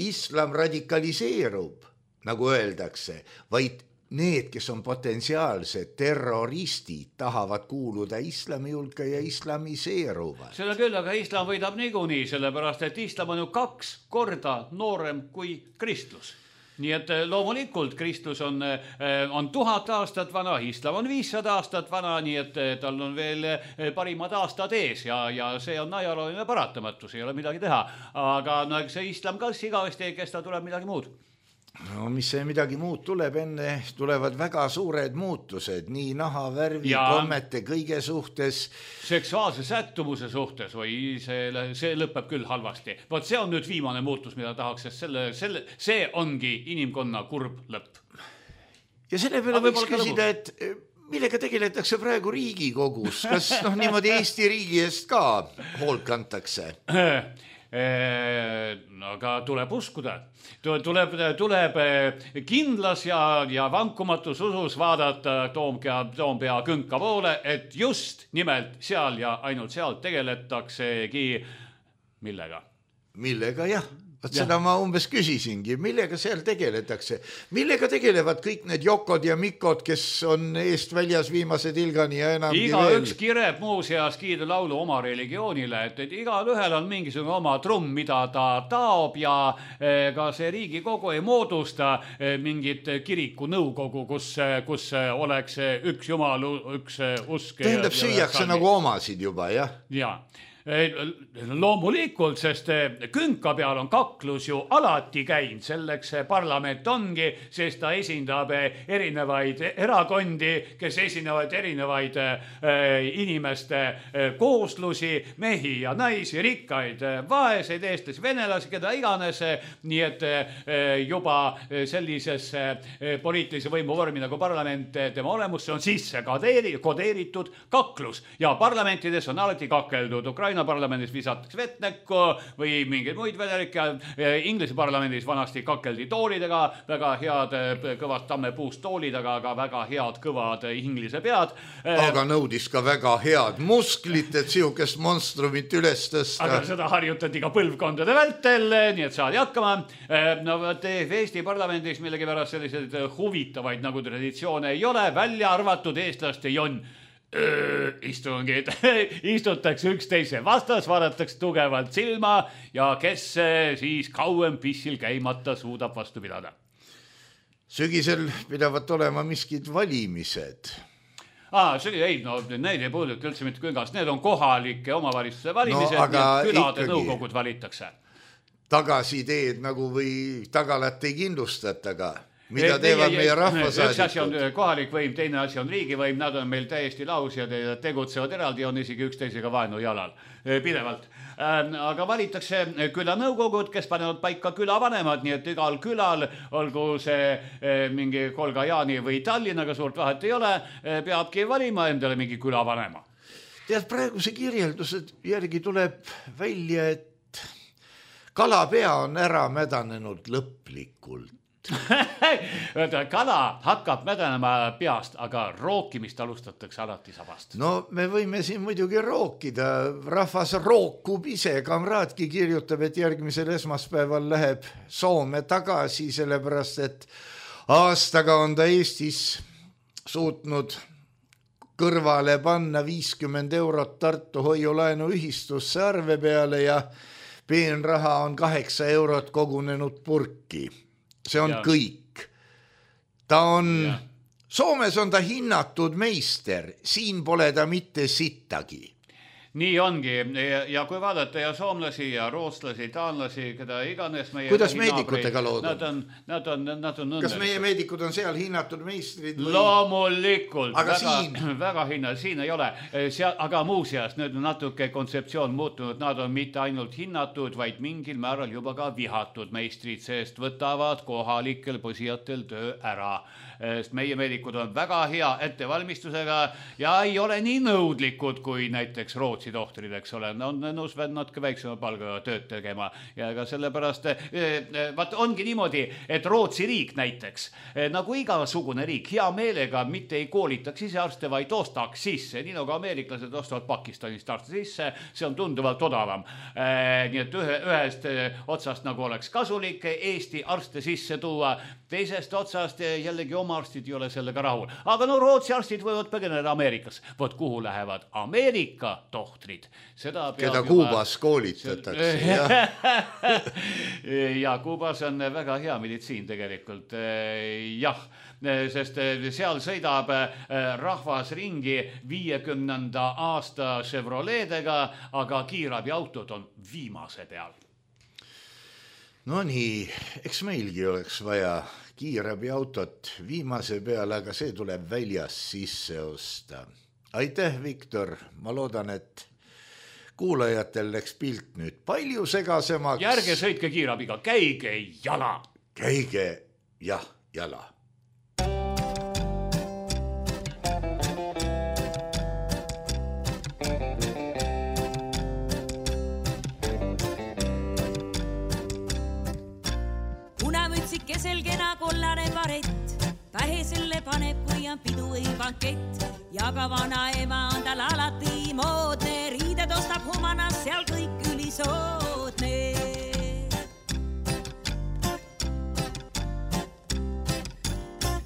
islam radikaliseerub, nagu öeldakse, vaid need, kes on potentsiaalsed terroristid, tahavad kuuluda islami hulka ja islamiseeruvad. Seda küll, aga islam võidab niikuinii, sellepärast, et islam on ju kaks korda noorem kui kristlus. Nii et loomulikult kristlus on, on tuhat aastat vana, islam on viissada aastat vana, nii et tal on veel parimad aastad ees ja, ja see on ajalooline paratamatus, ei ole midagi teha. Aga no, see islam kas igavesti ei kesta, tuleb midagi muud. No mis see midagi muud tuleb, enne tulevad väga suured muutused, nii naha, värvi, ja kommete, kõige suhtes. Seksuaalse sättumuse suhtes või see, see lõpeb küll halvasti. Vaat see on nüüd viimane muutus, mida tahaks, sest selle, selle, see ongi inimkonna kurb lõpp. Ja selle peale võiks küsida, et millega tegeletakse praegu Riigikogus? Kas noh, niimoodi Eesti riigi eest ka hoolt kantakse? aga tuleb uskuda, tuleb, tuleb kindlas ja, ja vankumatus usus vaadata Toompea, Toompea künka poole, et just nimelt seal ja ainult seal tegeletaksegi millega? Millega, jah. Vaat seda ma umbes küsisingi, millega seal tegeletakse, millega tegelevad kõik need Jokod ja Mikod, kes on eest väljas viimase tilgani ja enamgi iga veel. Üks kireb muuseas kiidulaulu oma religioonile, et, et igal ühel on mingisugune oma trumm, mida ta taob ja eh, ka see Riigikogu ei moodusta eh, mingit kiriku nõukogu, kus, kus oleks üks jumal, üks usk. Tähendab, süüakse nagu omasid juba, jah? Jaa. Loomulikult, sest künka peal on kaklus ju alati käinud, selleks parlament ongi, sest ta esindab erinevaid erakondi, kes esinevad erinevaid inimeste kooslusi, mehi ja naisi, rikkaid, vaeseid, eestlasi, venelasi, keda iganes, nii et juba sellisesse poliitilise võimu vormi nagu parlament, tema olemusse on sisse kodeeritud kaklus ja parlamentides on alati kakeldud. Ukraina parlamendis visatakse vett näkku või mingeid muid vedelikke. Inglise parlamendis vanasti kakeldi toolidega, väga head kõvad tammepuust toolid, aga, aga väga head kõvad inglise pead. Aga nõudis ka väga head musklit, et sihukest monstrumit üles tõsta. Aga seda harjutati ka põlvkondade vältel, nii et saadi hakkama. No Eesti parlamendis millegi pärast selliseid huvitavaid nagu traditsioone ei ole, välja arvatud eestlaste jonn. Öö, istungid, istutakse üksteise vastas, vaadatakse tugevalt silma ja kes siis kauem pissil käimata suudab vastu pidada. Sügisel pidavat olema miskid valimised. Ah, see, ei, no need ei puuduta üldse mitte küngas, need on kohalike omavalitsuse valimised, no, külade ikkagi nõukogud valitakse. Tagasideed nagu või tagalat ei kindlustata ka. Mida teevad meie rahvasaadikud? Üks asi on kohalik võim, teine asi on riigivõim, nad on meil täiesti lausjad ja tegutsevad eraldi, on isegi üksteisega vaenu jalal pidevalt. Aga valitakse külanõukogud, kes panevad paika külavanemad, nii et igal külal, olgu see mingi Kolga Jaani või Tallinnaga suurt vahet ei ole, peabki valima endale mingi külavanema. Tead, praeguse kirjeldused järgi tuleb välja, et kalapea on ära mädanenud lõplikult. Kala hakkab mädanema peast, aga rookimist alustatakse alati sabast. No me võime siin muidugi rookida, rahvas rookub ise, kamraadki kirjutab, et järgmisel esmaspäeval läheb Soome tagasi, sellepärast et aastaga on ta Eestis suutnud kõrvale panna viiskümmend eurot Tartu hoiulaenu ühistusse arve peale ja peenraha on kaheksa eurot kogunenud purki. See on ja. Kõik. Ta on, ja. Soomes on ta hinnatud meister, siin pole ta mitte sittagi. Nii ongi ja, ja kui vaadata ja soomlasi ja rootslasi, taanlasi, keda iganes meie... Kuidas meedikutega lood on? Nad on, nad on, nad on Kas meie meedikud on seal hinnatud meistrid? Või... Loomulikult. Aga väga, siin? Väga hinna, siin ei ole. Seal, aga muuseas, nüüd on natuke kontseptsioon muutunud. Nad on mitte ainult hinnatud, vaid mingil määral juba ka vihatud meistrid, sest võtavad kohalikel posijatel töö ära. Sest meie meedikud on väga hea ettevalmistusega ja ei ole nii nõudlikud kui näiteks Rootsi tohtrid, eks ole. On nõus natuke väiksema palgaga tööd tegema ja ka sellepärast vaat ongi niimoodi, et Rootsi riik näiteks, nagu igasugune riik, hea meelega mitte ei koolitaks ise arste, vaid ostaks sisse, nii nagu ameeriklased ostavad Pakistanist arste sisse, see on tunduvalt odavam. Nii et ühe, ühest otsast nagu oleks kasulik Eesti arste sisse tuua, teisest otsast jällegi oma arstid ei ole sellega rahul. Aga no Rootsi arstid võivad põgeneda Ameerikas. Vot kuhu lähevad Ameerika tohtrid. Seda keda Kuubas juba... koolitatakse. ja. ja Kuubas on väga hea meditsiin tegelikult. Jah, sest seal sõidab rahvas ringi viiekümnenda aasta Chevroletega, aga kiirabi autod on viimase peal. No nii, eks meilgi oleks vaja kiirabi autot viimase peale, aga see tuleb väljas sisse osta. Aitäh, Viktor. Ma loodan, et kuulajatel läks pilt nüüd palju segasemaks. Järge sõitke kiirabiga, käige jala. Käige, jah, jala. kesel kena kollane varett, pähe selle paneb, kui on pidu või bankett. Ja ka vana ema on tal alati moodne, riided ostab humanas, seal kõik ülisoodne.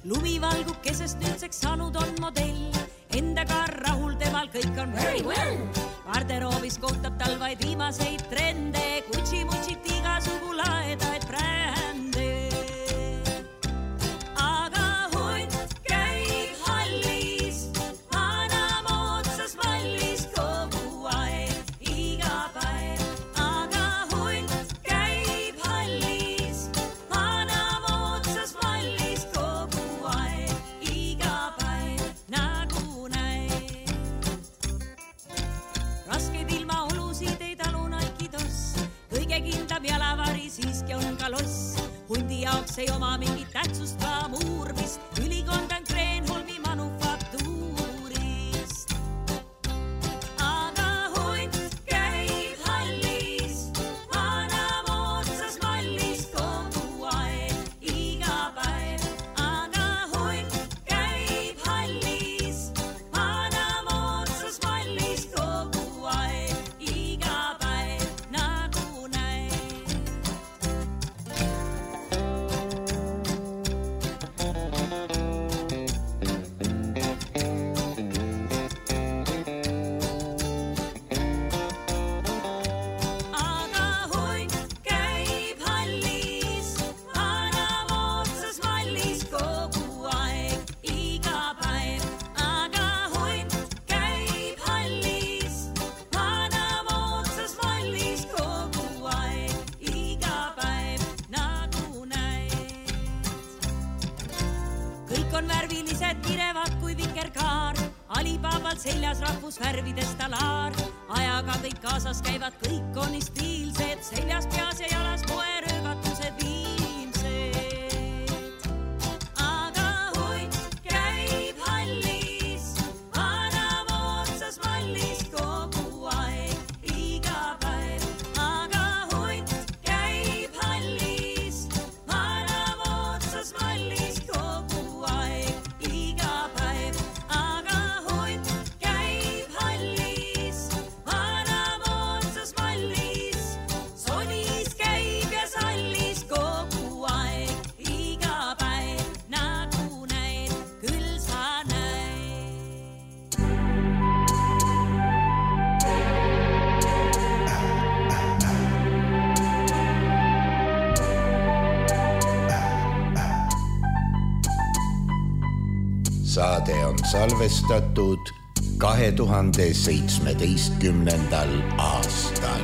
Lumi valgub kesest nüüdseks saanud on modell, endaga rahul temal kõik on very well. Garderoobis kohtab tal vaid viimaseid trende, kutsi-mutsit igasugu laedaid brände. Aga hunt käib hallis, vana moodsas mallis kogu aeg, iga päev. Aga hunt käib hallis, vana moodsas mallis kogu aeg, iga päev, nagu näed. Raskeid ilmaolusid ei talu naikidos, kõige kindlam jalavari siiski on ka loss. Hundi jaoks ei oma mingit tähtsust ka muurmist, ülikond on Kreenholmi manufaktuurist. Aga hunt käib hallis, vana moodsas mallis kogu aeg, iga päev. Aga hunt käib hallis, vana moodsas mallis kogu aeg, iga päev, nagu näed. Aga hunt käib hallis, vana moodsas mallis kogu aeg, iga päev. Aga hunt käib hallis, vana moodsas mallis kogu aeg, iga päev, nagu näed. Kõik on värvilised, kirevad kui vikerkaar, Alibabal seljas rahvusvärvides talaar. Ajaga kõik kaasas käivad, kõik on nii stiilsed, seljas, peas ja jalas poeröögatused viimsed. Aga hunt käib hallis, vana moodsas mallis kogu aeg, iga päev. Aga hunt käib hallis, vana moodsas mallis kogu aeg, iga päev. Aga hunt käib hallis, vana moodsas mallis, sonis käib ja sallis kogu aeg, iga päev, nagu näed, küll sa näed. Saade on salvestatud kahe tuhande seitsmeteistkümnendal aastal.